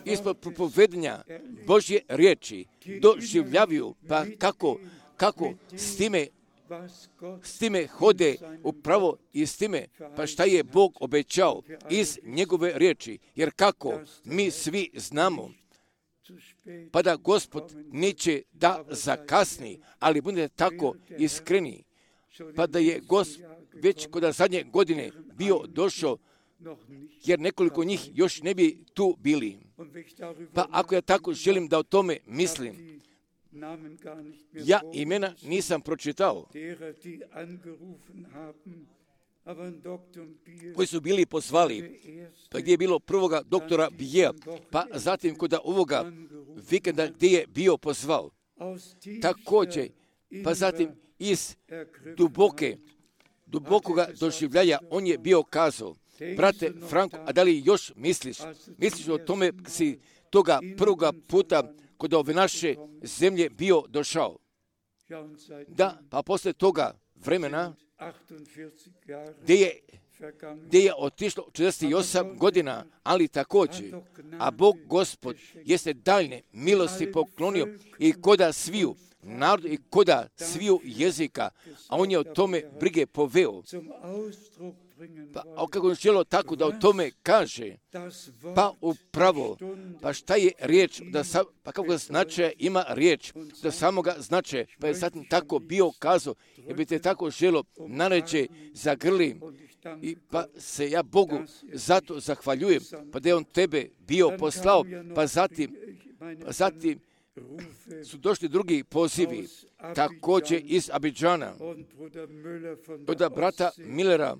ispod propovedanja Božje riječi doživljavaju, pa kako, kako s time s time hode upravo i s time, pa šta je Bog obećao iz njegove riječi, jer kako mi svi znamo, pa da Gospod neće da zakasni, ali budete tako iskreni, pa da je Gospod već kod zadnje godine bio došao, jer nekoliko njih još ne bi tu bili. Pa ako ja tako želim da o tome mislim, ja imena nisam pročitao, koji su bili pozvali, pa gdje je bilo prvoga doktora Bijea, pa zatim kod ovoga vikenda gdje je bio pozvao. Također, pa zatim iz duboke, dubokoga doživljaja on je bio kazao, brate Franko, a da li još misliš, misliš o tome si toga prvoga puta kod ove naše zemlje bio došao? Da, pa posle toga vremena gdje je, gdje je otišlo četrdeset osam godina, ali također, a Bog Gospod jeste daljne milosti poklonio i koda sviju narodu i koda sviju jezika, a on je o tome brige poveo. Pa, a kako je želo tako da o tome kaže, pa upravo, pa šta je riječ, da sa, pa kako značaja ima riječ, da samoga značaja, pa je sad tako bio kazao, jer bi te tako želo naređe zagrli, i pa se ja Bogu zato zahvaljujem, pa da je on tebe bio poslao, pa zatim, pa zatim su došli drugi pozivi, također iz Abidžana, od brata Millera,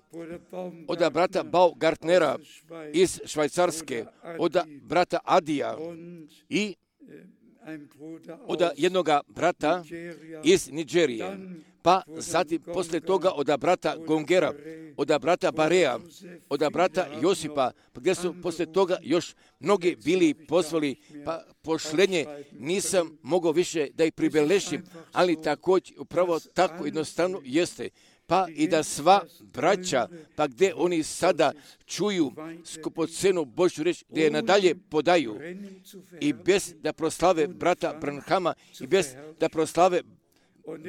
od brata Baugartnera iz Švajcarske, od brata Adija i od jednoga brata iz Nigerije, pa zatim posle toga od brata Gongera, od brata Barea, od brata Josipa, pa gdje su posle toga još mnogi bili pozvali, pa pošlenje nisam mogao više da ih pribelešim, ali također upravo tako jednostavno jeste. Pa i da sva braća, pa gdje oni sada čuju skupocenu Božju reč, gdje je nadalje podaju i bez da proslave brata Branhama i bez da proslave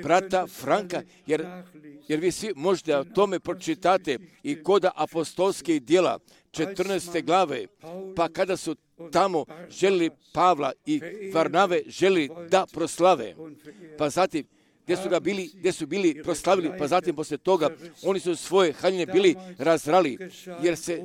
brata Franka, jer, jer vi svi možete o tome pročitate i koda apostolskih djela četrnaeste glave, pa kada su tamo želili Pavla i Varnave želili da proslave, pa zatim gdje su ga bili, gdje su bili proslavili, pa zatim poslije toga oni su svoje haljine bili razrali, jer se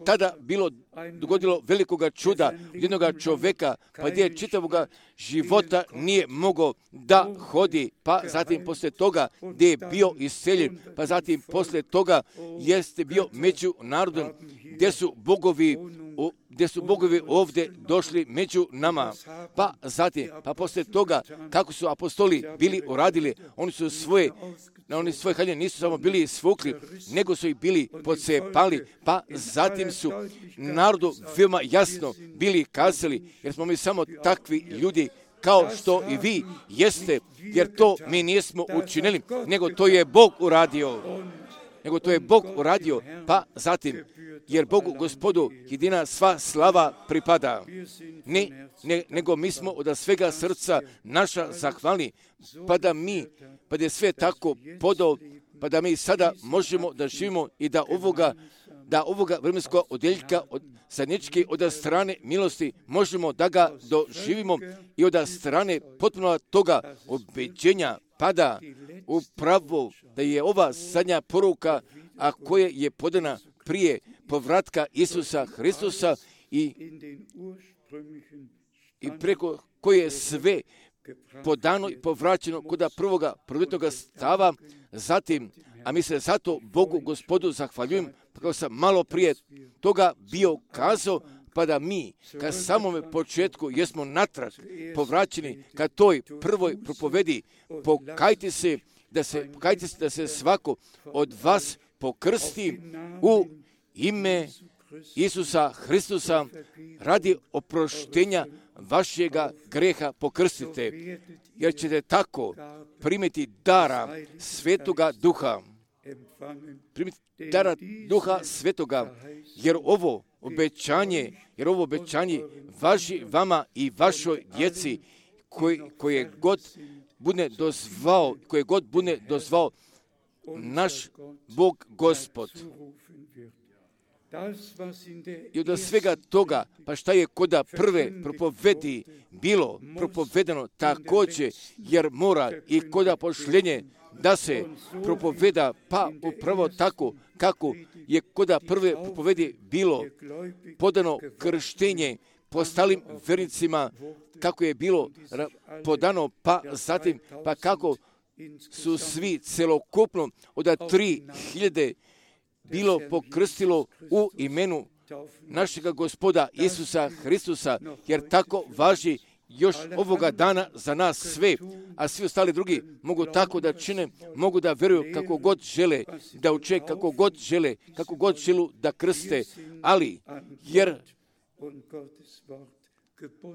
tada bilo dogodilo velikoga čuda jednoga čovjeka, pa gdje čitavoga života nije mogao da hodi, pa zatim poslije toga gdje je bio isceljen, pa zatim poslije toga jeste bio među narodom, gdje su bogovi gdje su bogovi ovdje došli među nama. Pa zatim, pa poslije toga, kako su apostoli bili uradili, oni su svoje, oni svoje haljine nisu samo bili svukli, nego su ih bili pocepali, pa zatim su narodu veoma jasno bili kazali, jer smo mi samo takvi ljudi kao što i vi jeste, jer to mi nismo učinili, nego to je Bog uradio. Nego to je Bog uradio, pa zatim, jer Bogu Gospodu jedina sva slava pripada. Ne, ne, nego mi smo od svega srca naša zahvalni, pa da mi, pa da je sve tako podao, pa da mi sada možemo da živimo i da ovoga, da ovoga vremenskog odjeljka od zajedničke od strane milosti možemo da ga doživimo i od strane potpuno toga obeđenja pada upravo da je ova zadnja poruka, a koja je podana prije povratka Isusa Hristusa i, i preko koje sve podano i povraćeno kod prvoga prvotnoga stava, zatim, a mi se zato Bogu Gospodu zahvaljujem, kako sam malo prije toga bio kazao, pa da mi, ka samome početku, jesmo natrag povraćeni ka toj prvoj propovedi, pokajte se, da se, pokajte se da se svako od vas pokrsti u ime Isusa Hristusa radi oproštenja vašega greha pokrstite, jer ćete tako primiti dara Svetoga Duha. Primiti dara Duha Svetoga, jer ovo obećanje, jer ovo obećanje važi vama i vašoj djeci koji, koje god bude dozvao, koje god bude dozvao naš Bog Gospod. I od svega toga, pa šta je koda prve propovedi bilo propovedano također, jer mora i koda pošljenje da se propoveda, pa upravo tako kako je koda prve propovedi bilo podano krštenje postalim vernicima, kako je bilo podano, pa zatim, pa kako su svi celokupno od tri hiljade bilo pokrstilo u imenu našega Gospoda Isusa Hristusa, jer tako važi još ovoga dana za nas sve, a svi ostali drugi mogu tako da čine, mogu da veruju kako god žele, da uče kako god žele, kako god želu da krste, ali jer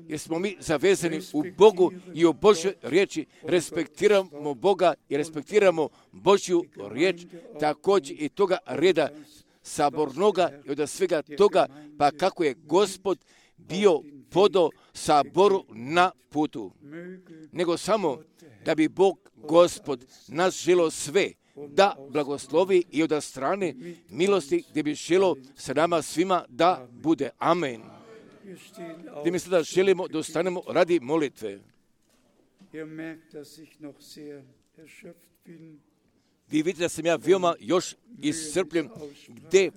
jer smo mi zavezani u Bogu i u Božoj riječi, respektiramo Boga i respektiramo Božju riječ, također i toga reda sabornoga i od svega toga, pa kako je Gospod bio podo saboru na putu. Nego samo da bi Bog Gospod nas želo sve da blagoslovi i od strane milosti gdje bi želo sa nama svima da bude. Amen. Gdje mi sada želimo da ostanemo radi molitve. Vi vidite da sam ja veoma još iscrpljen gdje,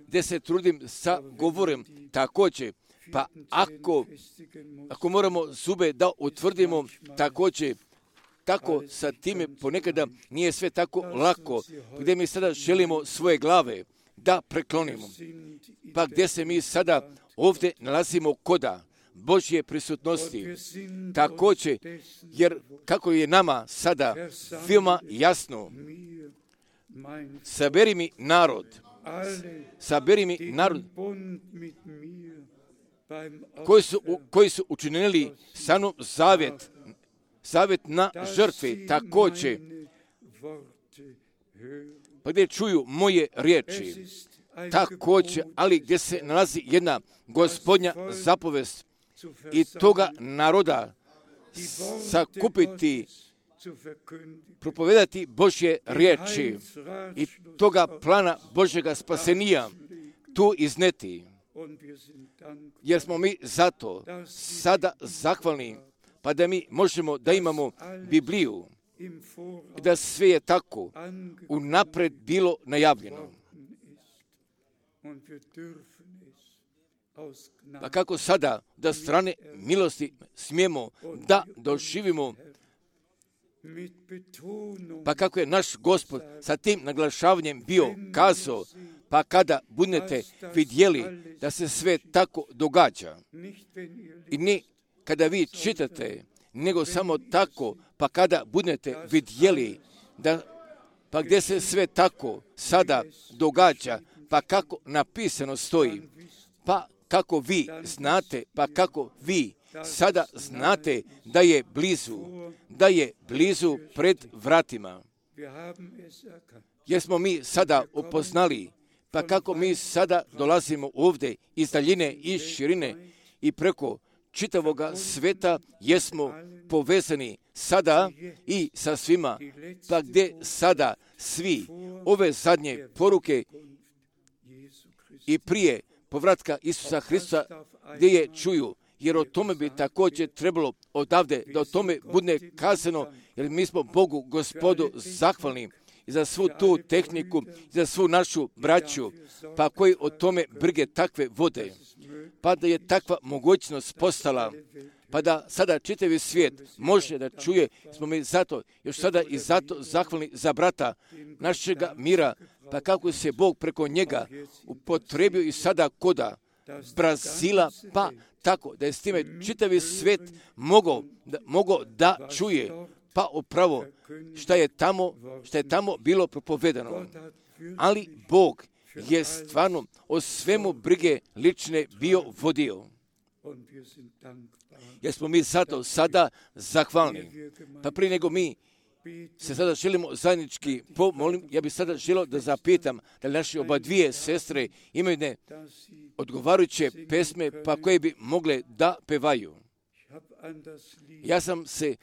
gdje se trudim sa govorom također. Pa ako, ako moramo zube da utvrdimo također, tako sa time ponekada nije sve tako lako, gdje mi sada želimo svoje glave da preklonimo. Pa gdje se mi sada ovdje nalazimo koda Božje prisutnosti. Također, jer kako je nama sada veoma jasno, saberi mi narod, saberi mi narod koji su, koji su učinili sa mnom zavjet, zavjet na žrtvi, također, pa gdje čuju moje riječi, također, ali gdje se nalazi jedna Gospodnja zapovest i toga naroda sakupiti, propovedati Božje riječi i toga plana Božjega spasenija tu izneti. Jer smo mi zato sada zahvalni, pa da mi možemo da imamo Bibliju i da sve je tako unapred bilo najavljeno. Pa kako sada da strane milosti smijemo da doživimo, pa kako je naš Gospod sa tim naglašavanjem bio kazao, pa kada budete vidjeli da se sve tako događa, i ne kada vi čitate, nego samo tako, pa kada budete vidjeli da, pa gdje se sve tako sada događa, pa kako napisano stoji, pa kako vi znate, pa kako vi sada znate da je blizu, da je blizu pred vratima. Jer smo mi sada upoznali, pa kako mi sada dolazimo ovdje iz daljine i širine i preko čitavoga sveta jesmo povezani sada i sa svima, pa gdje sada svi ove zadnje poruke i prije povratka Isusa Hrista gdje je čuju, jer o tome bi također trebalo odavde da o tome bude kazano, jer mi smo Bogu Gospodu zahvalni i za svu tu tehniku, i za svu našu braću, pa koji o tome brige takve vode, pa da je takva mogućnost postala, pa da sada čitavi svijet može da čuje, smo mi zato, još sada i zato zahvalni za brata našega mira, pa kako se Bog preko njega upotrebio i sada koda Brazila, pa tako da je s time čitavi svijet mogao da, mogao da čuje, pa upravo šta je tamo, šta je tamo bilo propovedano. Ali Bog je stvarno o svemu brige lične bio vodio. Jer smo mi zato sada zahvalni. Pa prije nego mi se sada želimo zajednički pomolim, ja bih sada želio da zapitam da li naše oba dvije sestre imaju ne odgovarajuće pesme pa koje bi mogle da pevaju. Ja sam se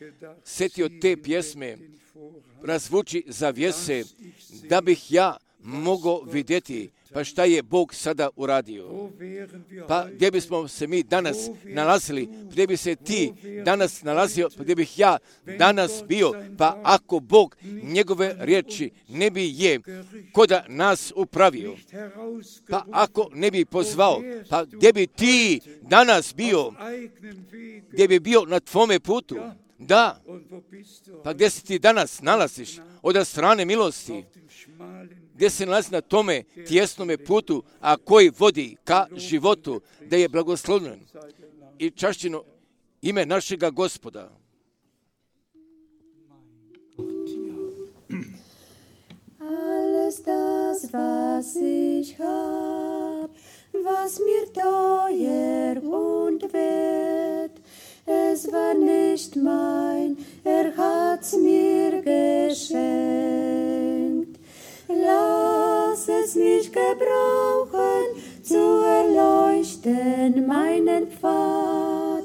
setio te pjesme razvuči zavjese da bih ja mogao vidjeti pa šta je Bog sada uradio. Pa gdje bismo se mi danas nalazili, gdje bi se ti danas nalazio, pa gdje bih ja danas bio, pa ako Bog njegove riječi ne bi je koda nas upravio, pa ako ne bi pozvao, pa gdje bi ti danas bio, gdje bi bio na tvome putu, da, pa gdje se ti danas nalaziš od strane milosti, gdje se nalazi na tome tjesnome putu, a koji vodi ka životu, da je blagoslovljen i čašćeno ime našega Gospoda. Alles das, was ich hab, was mir teuer und wert, es war nicht mein, er hat's mir geschenkt. Lass es mich gebrauchen, zu erleuchten meinen Pfad.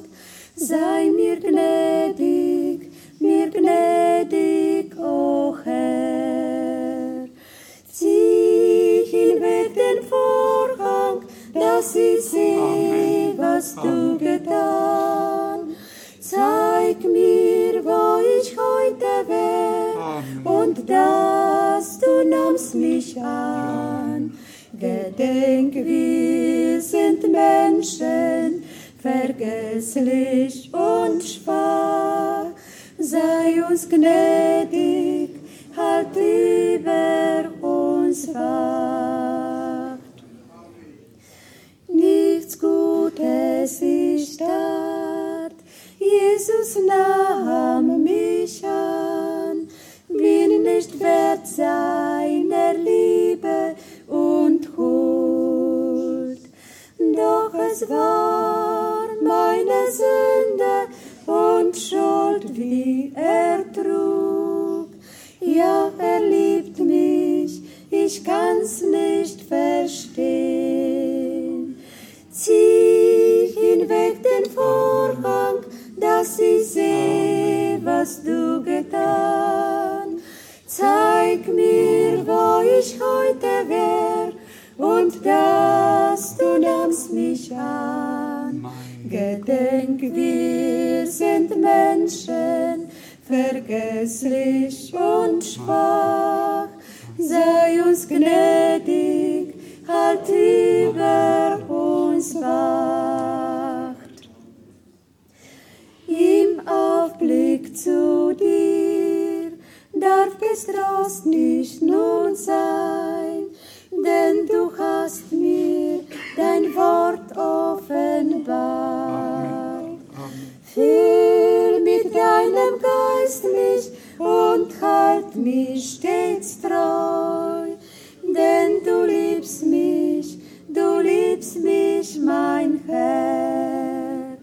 Sei mir gnädig, mir gnädig, o Herr. Zieh hinweg den Vorhang, dass ich sehe, was du getan. Zeig mir, wo ich heute wär, und dass du nahmst mich an. Gedenk, wir sind Menschen, vergesslich und schwach. Sei uns gnädig, halt über uns Wacht. Nichts Gutes ich tat, Jesus nahm mich an, bin nicht wert seiner Liebe und Huld. Doch es war meine Sünde und Schuld, wie er trug. Ja, er liebt mich, ich kann's nicht verstehen. Zieh hinweg den Vorhang, dass ich seh, was du getan. Zeig mir, wo ich heute wär, und dass du nahmst mich an. Gedenk, wir sind Menschen, vergesslich und schwach. Sei uns gnädig, halt über uns Wacht. Im Aufblick zu dir darf Getrost nicht nun sein, denn du hast mir dein Wort offenbart. Füll mit deinem Geist mich und halt mich stets treu, denn du liebst mich, du liebst mich, mein Herr.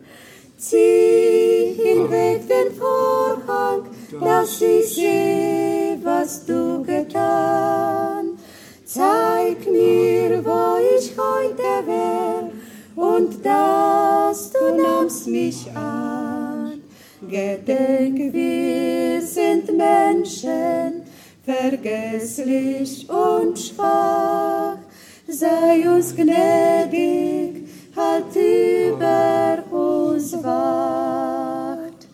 Zieh hinweg den Vorhang, dass ich seh, was du getan. Zeig mir, wo ich heute wär, und dass du nahmst mich an. Gedenk, wir sind Menschen, vergesslich und schwach. Sei uns gnädig, halt über uns Wacht.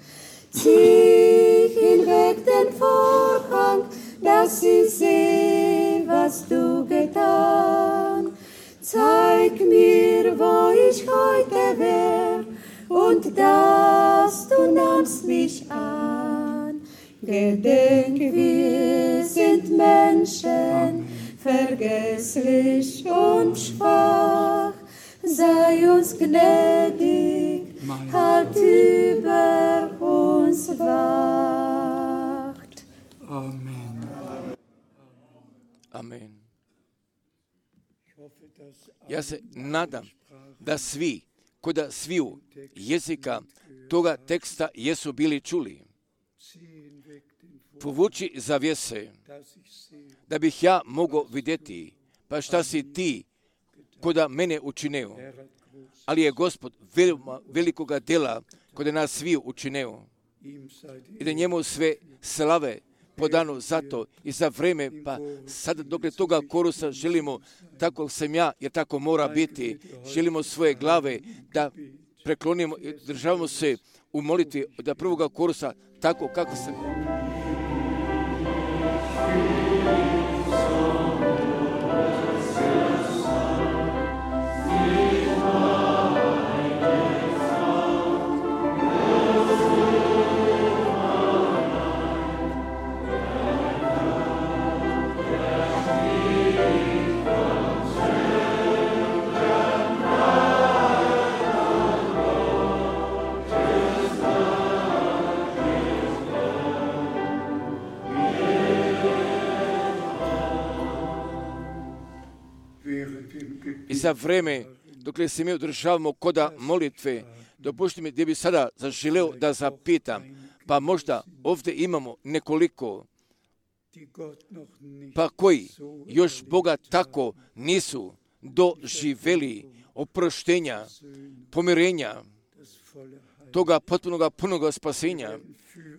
Zieh hinweg den Vorhang, dass ich seh, was du getan. Zeig mir, wo ich heute wär, und dass du nahmst mich an. Gedenk, wir sind Menschen, vergesslich und schwach. Sei uns gnädig, halt über uns wacht. Amen. Amen. Ja se nadam da svi, koda sviju jezika toga teksta jesu bili čuli. Povuči zavjese, da bih ja mogao vidjeti, pa šta si ti koda mene učineo. Ali je Gospod veoma velikoga dela koda nas sviju učineo. I da njemu sve slave podano zato i za vreme, pa sada dok je toga korusa želimo, tako sam ja, jer tako mora biti, želimo svoje glave da preklonimo i državamo se u molitvi da prvoga korusa tako kako se... I za vreme dok se mi održavamo koda molitve, dopušti mi gdje bi sada zaželeo da zapitam, pa možda ovdje imamo nekoliko, pa koji još Boga tako nisu doživjeli oproštenja, pomirenja, toga potpunoga punoga spasenja,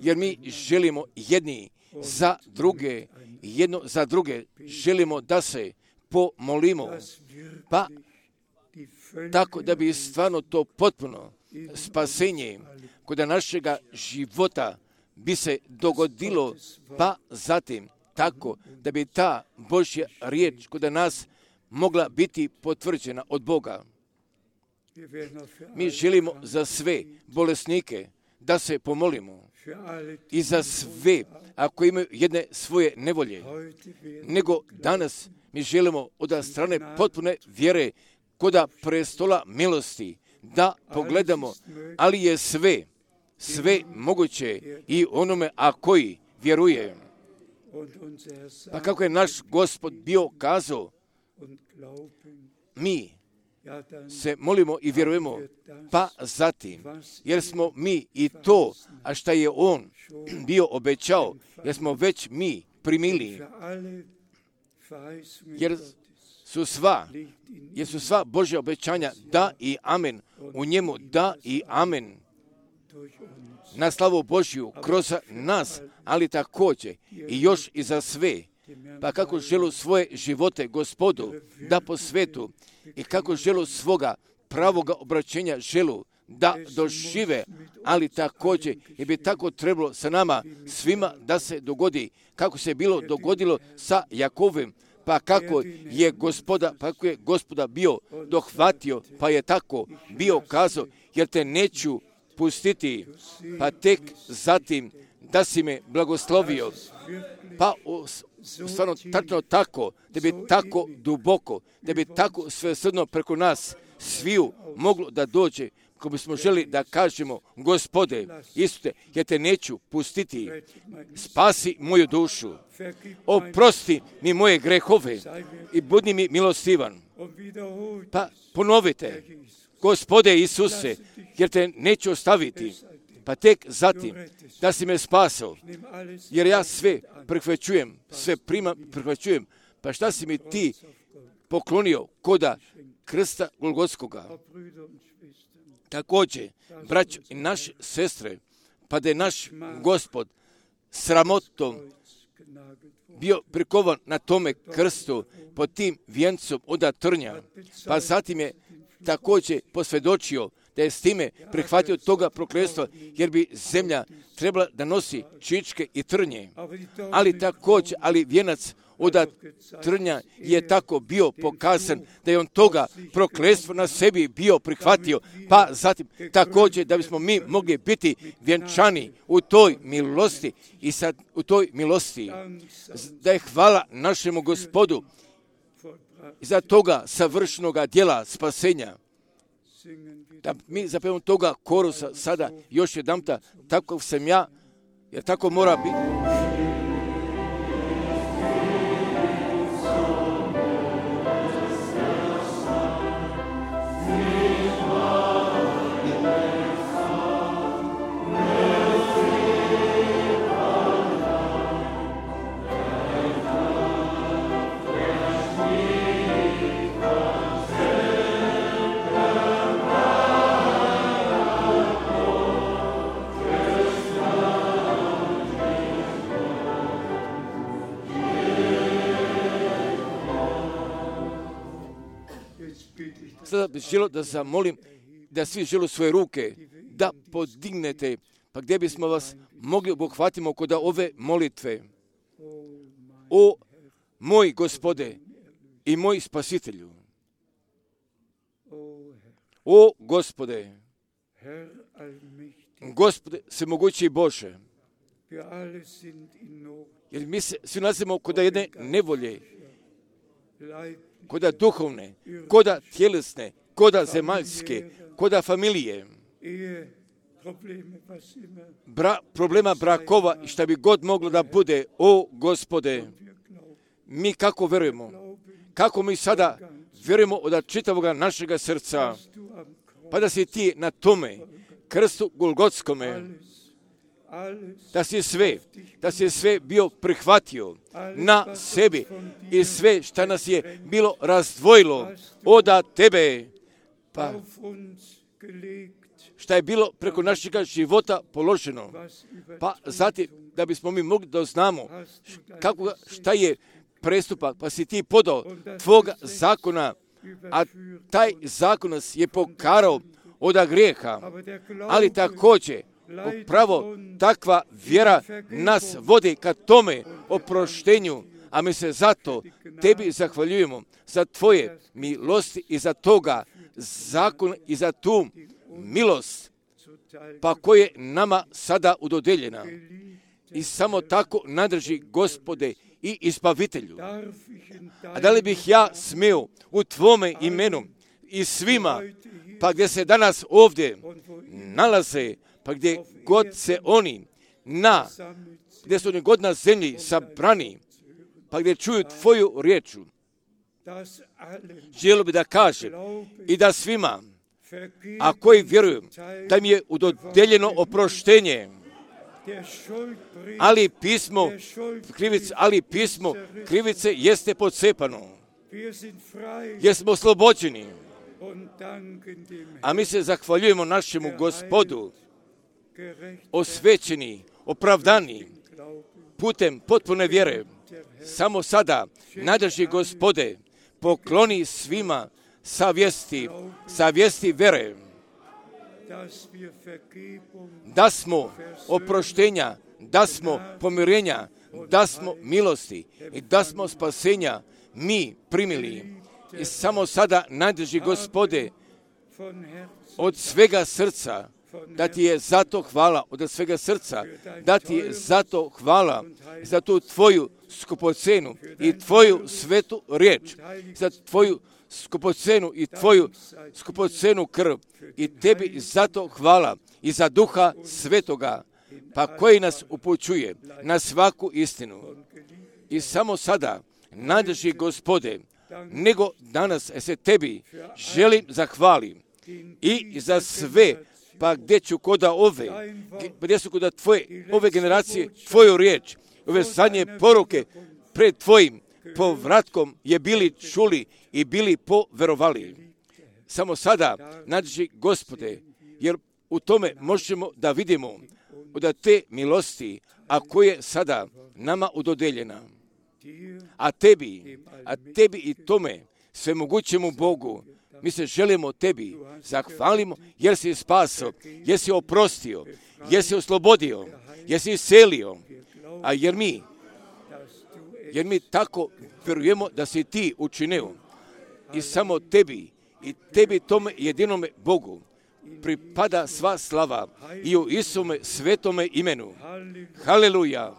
jer mi želimo jedni za druge, jedno za druge, želimo da se pomolimo, pa tako da bi stvarno to potpuno spasenje kod našega života bi se dogodilo, pa zatim tako da bi ta Božja riječ kod nas mogla biti potvrđena od Boga. Mi želimo za sve bolesnike da se pomolimo i za sve ako imaju jedne svoje nevolje, nego danas mi želimo od strane potpune vjere koda prestola milosti da pogledamo, ali je sve, sve moguće i onome a koji vjeruje. Pa kako je naš Gospod bio kazao, mi se molimo i vjerujemo, pa zatim, jer smo mi i to, a šta je On bio obećao, jer smo već mi primili, jer su sva, jer su sva Božja obećanja da i amen, u njemu da i amen, na slavu Božju kroz nas, ali također i još i za sve. Pa kako želu svoje živote Gospodu da posvetu i kako želu svoga pravoga obraćenja želu da dožive, ali također i bi tako trebalo sa nama svima da se dogodi kako se bilo dogodilo sa Jakovim, pa kako je gospoda, pa kako je gospoda bio dohvatio, pa je tako bio kazao, jer te neću pustiti, pa tek zatim da si me blagoslovio, pa stvarno tačno tako, da bi tako duboko, da bi tako svesrdno preko nas sviju moglo da dođe, ko bismo želi da kažemo, Gospode, Isuse, ja te neću pustiti, spasi moju dušu, oprosti mi moje grehove i budi mi milostivan. Pa ponovite, Gospode Isuse, jer te neću ostaviti, pa tek zatim da si me spasao, jer ja sve prihvaćujem, sve prima, prihvaćujem, pa šta si mi ti poklonio koda krsta Golgotskoga. Također, braćo i naše sestre, pa da je naš Gospod sramotom bio prikovan na tome krstu pod tim vijencom od trnja, pa zatim je također posvjedočio da je s time prihvatio toga prokletstva, jer bi zemlja trebala da nosi čičke i trnje. Ali također, ali vijenac od trnja je tako bio pokazan da je on toga prokletstvo na sebi bio prihvatio, pa zatim također da bismo mi mogli biti vjenčani u toj milosti i sad u toj milosti da je hvala našemu Gospodu za toga savršenoga djela spasenja. Da mi zapevamo toga korusa sada još jedanputa, tako sam ja, jer tako mora biti. Sada bih želio da zamolim da svi žele svoje ruke da podignete, pa gdje bismo vas mogli obuhvatiti kod ove molitve. O moj Gospode i moj Spasitelju, o Gospode, Gospode svemogući Bože, jer mi se svi nalazimo kod jedne nevolje, koda duhovne, koda tjelesne, koda zemaljske, koda familije, Bra, problema brakova i šta bi god moglo da bude. O Gospode, mi kako vjerujemo, kako mi sada vjerujemo od čitavog našega srca, pa da si ti na tome krstu Golgotskome, da si sve, da si sve bio prihvatio na sebi i sve šta nas je bilo razdvojilo od tebe, pa šta je bilo preko našega života položeno, pa zatim da bismo mi mogli da znamo kako, šta je prestupak, pa si ti podao tvoga zakona, a taj zakon nas je pokarao od grijeha, ali također upravo takva vjera nas vodi ka tome oproštenju, a mi se zato tebi zahvaljujemo za tvoje milosti i za toga zakon i za tu milost, pa koje nama sada udodeljena. I samo tako nadrži Gospode i Izbavitelju. A da li bih ja smio u tvome imenu i svima, pa gdje se danas ovdje nalaze, pa gdje god se oni na, gdje su oni god na zemlji sabrani, pa gdje čuju tvoju riječu, želio bi da kažem i da svima, a koji vjeruju da mi je udodeljeno oproštenje, ali pismo krivice, ali pismo krivice jeste pocepano, jer smo oslobođeni, a mi se zahvaljujemo našemu Gospodu, osvećeni, opravdani, putem potpune vjere. Samo sada, nadrži Gospode, pokloni svima savjesti, savjesti vjere, da smo oproštenja, da smo pomirenja, da smo milosti i da smo spasenja mi primili. I samo sada nadrži Gospode od svega srca, da ti je zato hvala, od svega srca, da ti je zato hvala za tu tvoju skupocenu i tvoju svetu riječ, za tvoju skupocenu i tvoju skupocenu krv. I tebi zato hvala i za Duha Svetoga, pa koji nas upućuje na svaku istinu. I samo sada nadrži Gospode, nego danas se tebi želim zahvalim i za sve, pa gdje ću koda ove, gdje su koda tvoje, ove generacije, tvoju riječ, ove zadnje poruke pred tvojim povratkom je bili čuli i bili poverovali. Samo sada nadrži Gospode, jer u tome možemo da vidimo od te milosti, a koje sada nama udodeljena. A tebi, a tebi i tome svemogućemu Bogu, mi se želimo tebi, zahvalimo jer si spasio, jer si oprostio, jer si oslobodio, jer si iscelio, a jer mi jer mi tako vjerujemo da si ti učinio. I samo tebi, i tebi tome jedinome Bogu pripada sva slava i u Isome svetome imenu. Haleluja!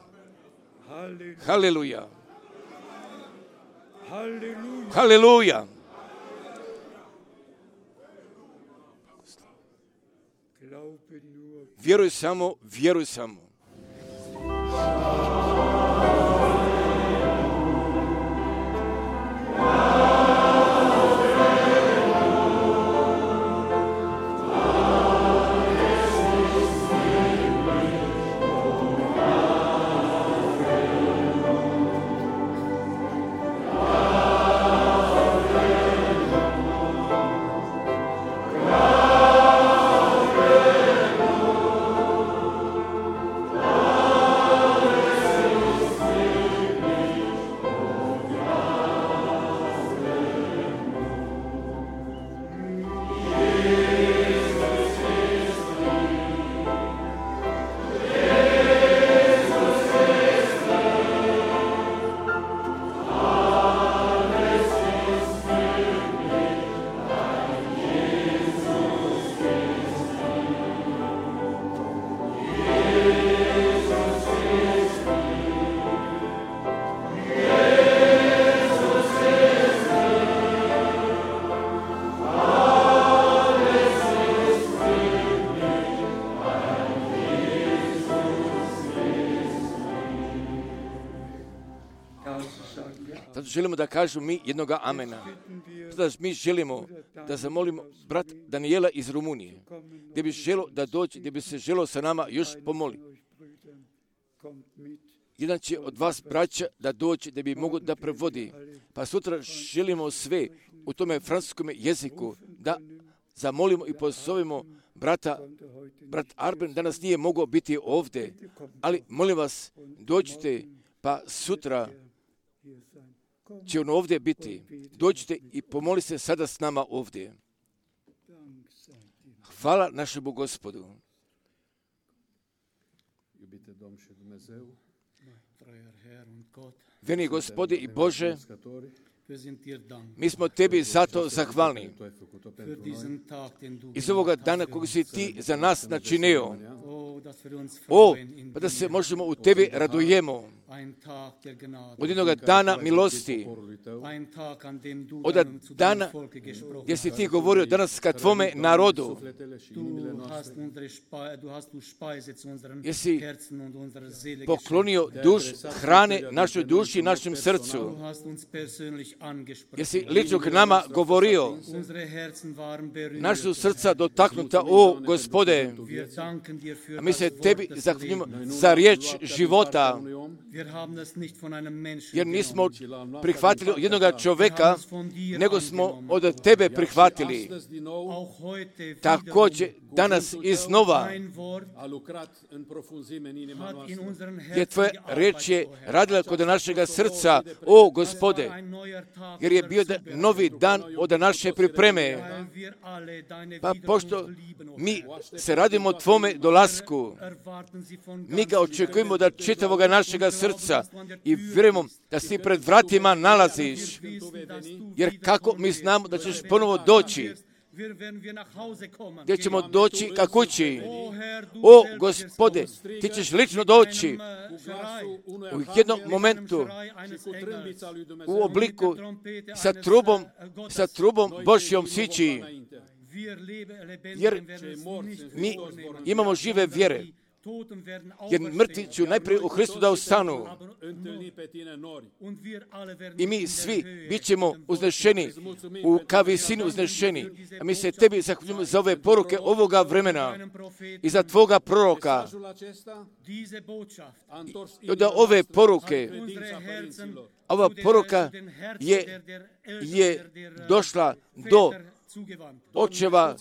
Haleluja! Haleluja! Vjeruj samo, vjeruj samo. Zato želimo da kažu mi jednoga amena. Zato mi želimo da zamolimo brat Daniela iz Rumunije, gdje bi želo da dođe, gdje bi se želo sa nama još pomoli. Jedan će od vas braća da dođe, da bi mogo da prevodi. Pa sutra želimo sve u tome francuskom jeziku da zamolimo i pozovemo brata. Brat Arben danas nije mogao biti ovdje, ali molim vas, dođite, pa sutra će on ovdje biti. Dođite i pomoli se sada s nama ovdje. Hvala našemu Gospodu. Veni Gospode i Bože, mi smo tebi zato zahvalni iz ovoga dana kog si ti za nas načinio. O, pa da se možemo u tebi radujemo. Od jednoga dana milosti, od dana gdje si ti govorio danas ka tvome narodu, jesi poklonio duš hrane našoj duši i našem srcu, jesi lično k nama govorio, naša srca dotaknuta, o Gospode, a mi se tebi zahvaljujemo za riječ života, jer nismo prihvatili od jednoga čovjeka, nego smo od tebe prihvatili. Također danas iznova, jer tvoja riječ je radila kod našega srca, o Gospode, jer je bio novi dan od naše pripreme. Pa pošto mi se radimo tvome dolasku, mi ga očekujemo da čitavoga našega srca i vjerujemo da si pred vratima nalaziš, jer kako mi znamo da ćeš ponovo doći, gdje ćemo doći ka kući. O Gospode, ti ćeš lično doći u jednom momentu u obliku sa trubom, sa trubom Božjom sići, jer mi imamo žive vjere. Jer mrtvi će najprije u Hristu da ustanu. I mi svi bit ćemo uznešeni, u ka visini uznešeni. A mi se tebi zahvaljujemo za ove poruke ovoga vremena i za tvoga proroka. I od ove poruke, ova poruka je, je došla do očeva,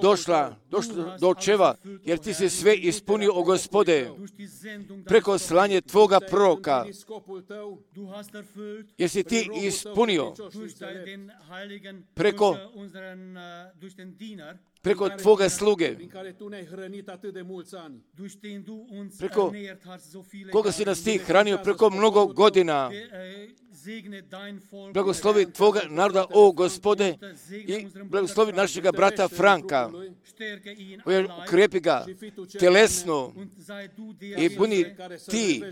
došla, došla do očeva, jer ti si sve ispunio, o Gospode, preko slanje tvoga proroka, jer si ti ispunio preko preko Tvoga sluge, preko koga si nas Ti hranio preko mnogo godina. Blagoslovi Tvoga naroda, o Gospode, i blagoslovi našega brata Franka. Ukrepi ga telesno i budi Ti,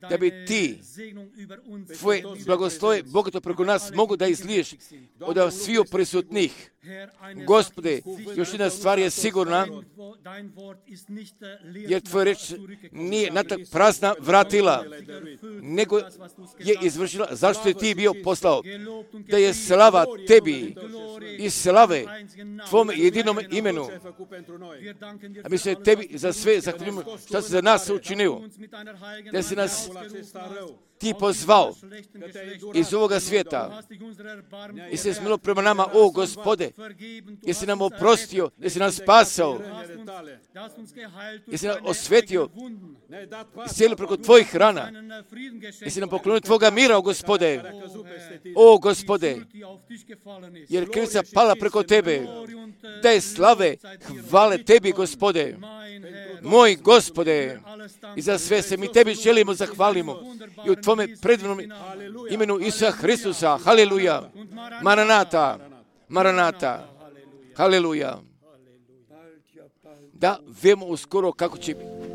da bi Ti Tvoje blagoslove bogato preko nas mogu da izliješ od sviju prisutnih. Gospode, još jedna stvar je sigurna, jer Tvoja reč nije natak prazna vratila, nego je izvršila zašto je Ti bio poslao. Da je slava Tebi i slave Tvom jedinom imenu. A mi se Tebi za sve zahvaljujemo što si za nas učinio. Da si nas Ti pozvao iz ovoga svijeta i se smilo prema nama, o Gospode, jesi nam oprostio, jesi nam spasao, jesi nam osvetio, iscijelio preko Tvojih rana, jesi nam poklonio Tvoga mira, o Gospode, o Gospode, jer krivica pala preko Tebe, da je slave, hvale Tebi, Gospode, moj Gospode, i za sve se mi Tebi želimo zahvalimo i u Tvome predivnom imenu Isusa Hristusa, haleluja, Maranata, Maranata, haleluja. Da vemo uskoro kako će biti.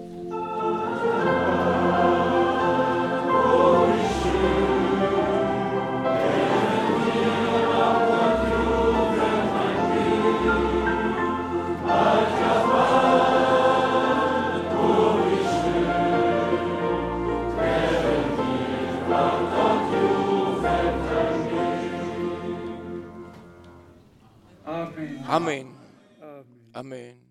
Amen. Amen.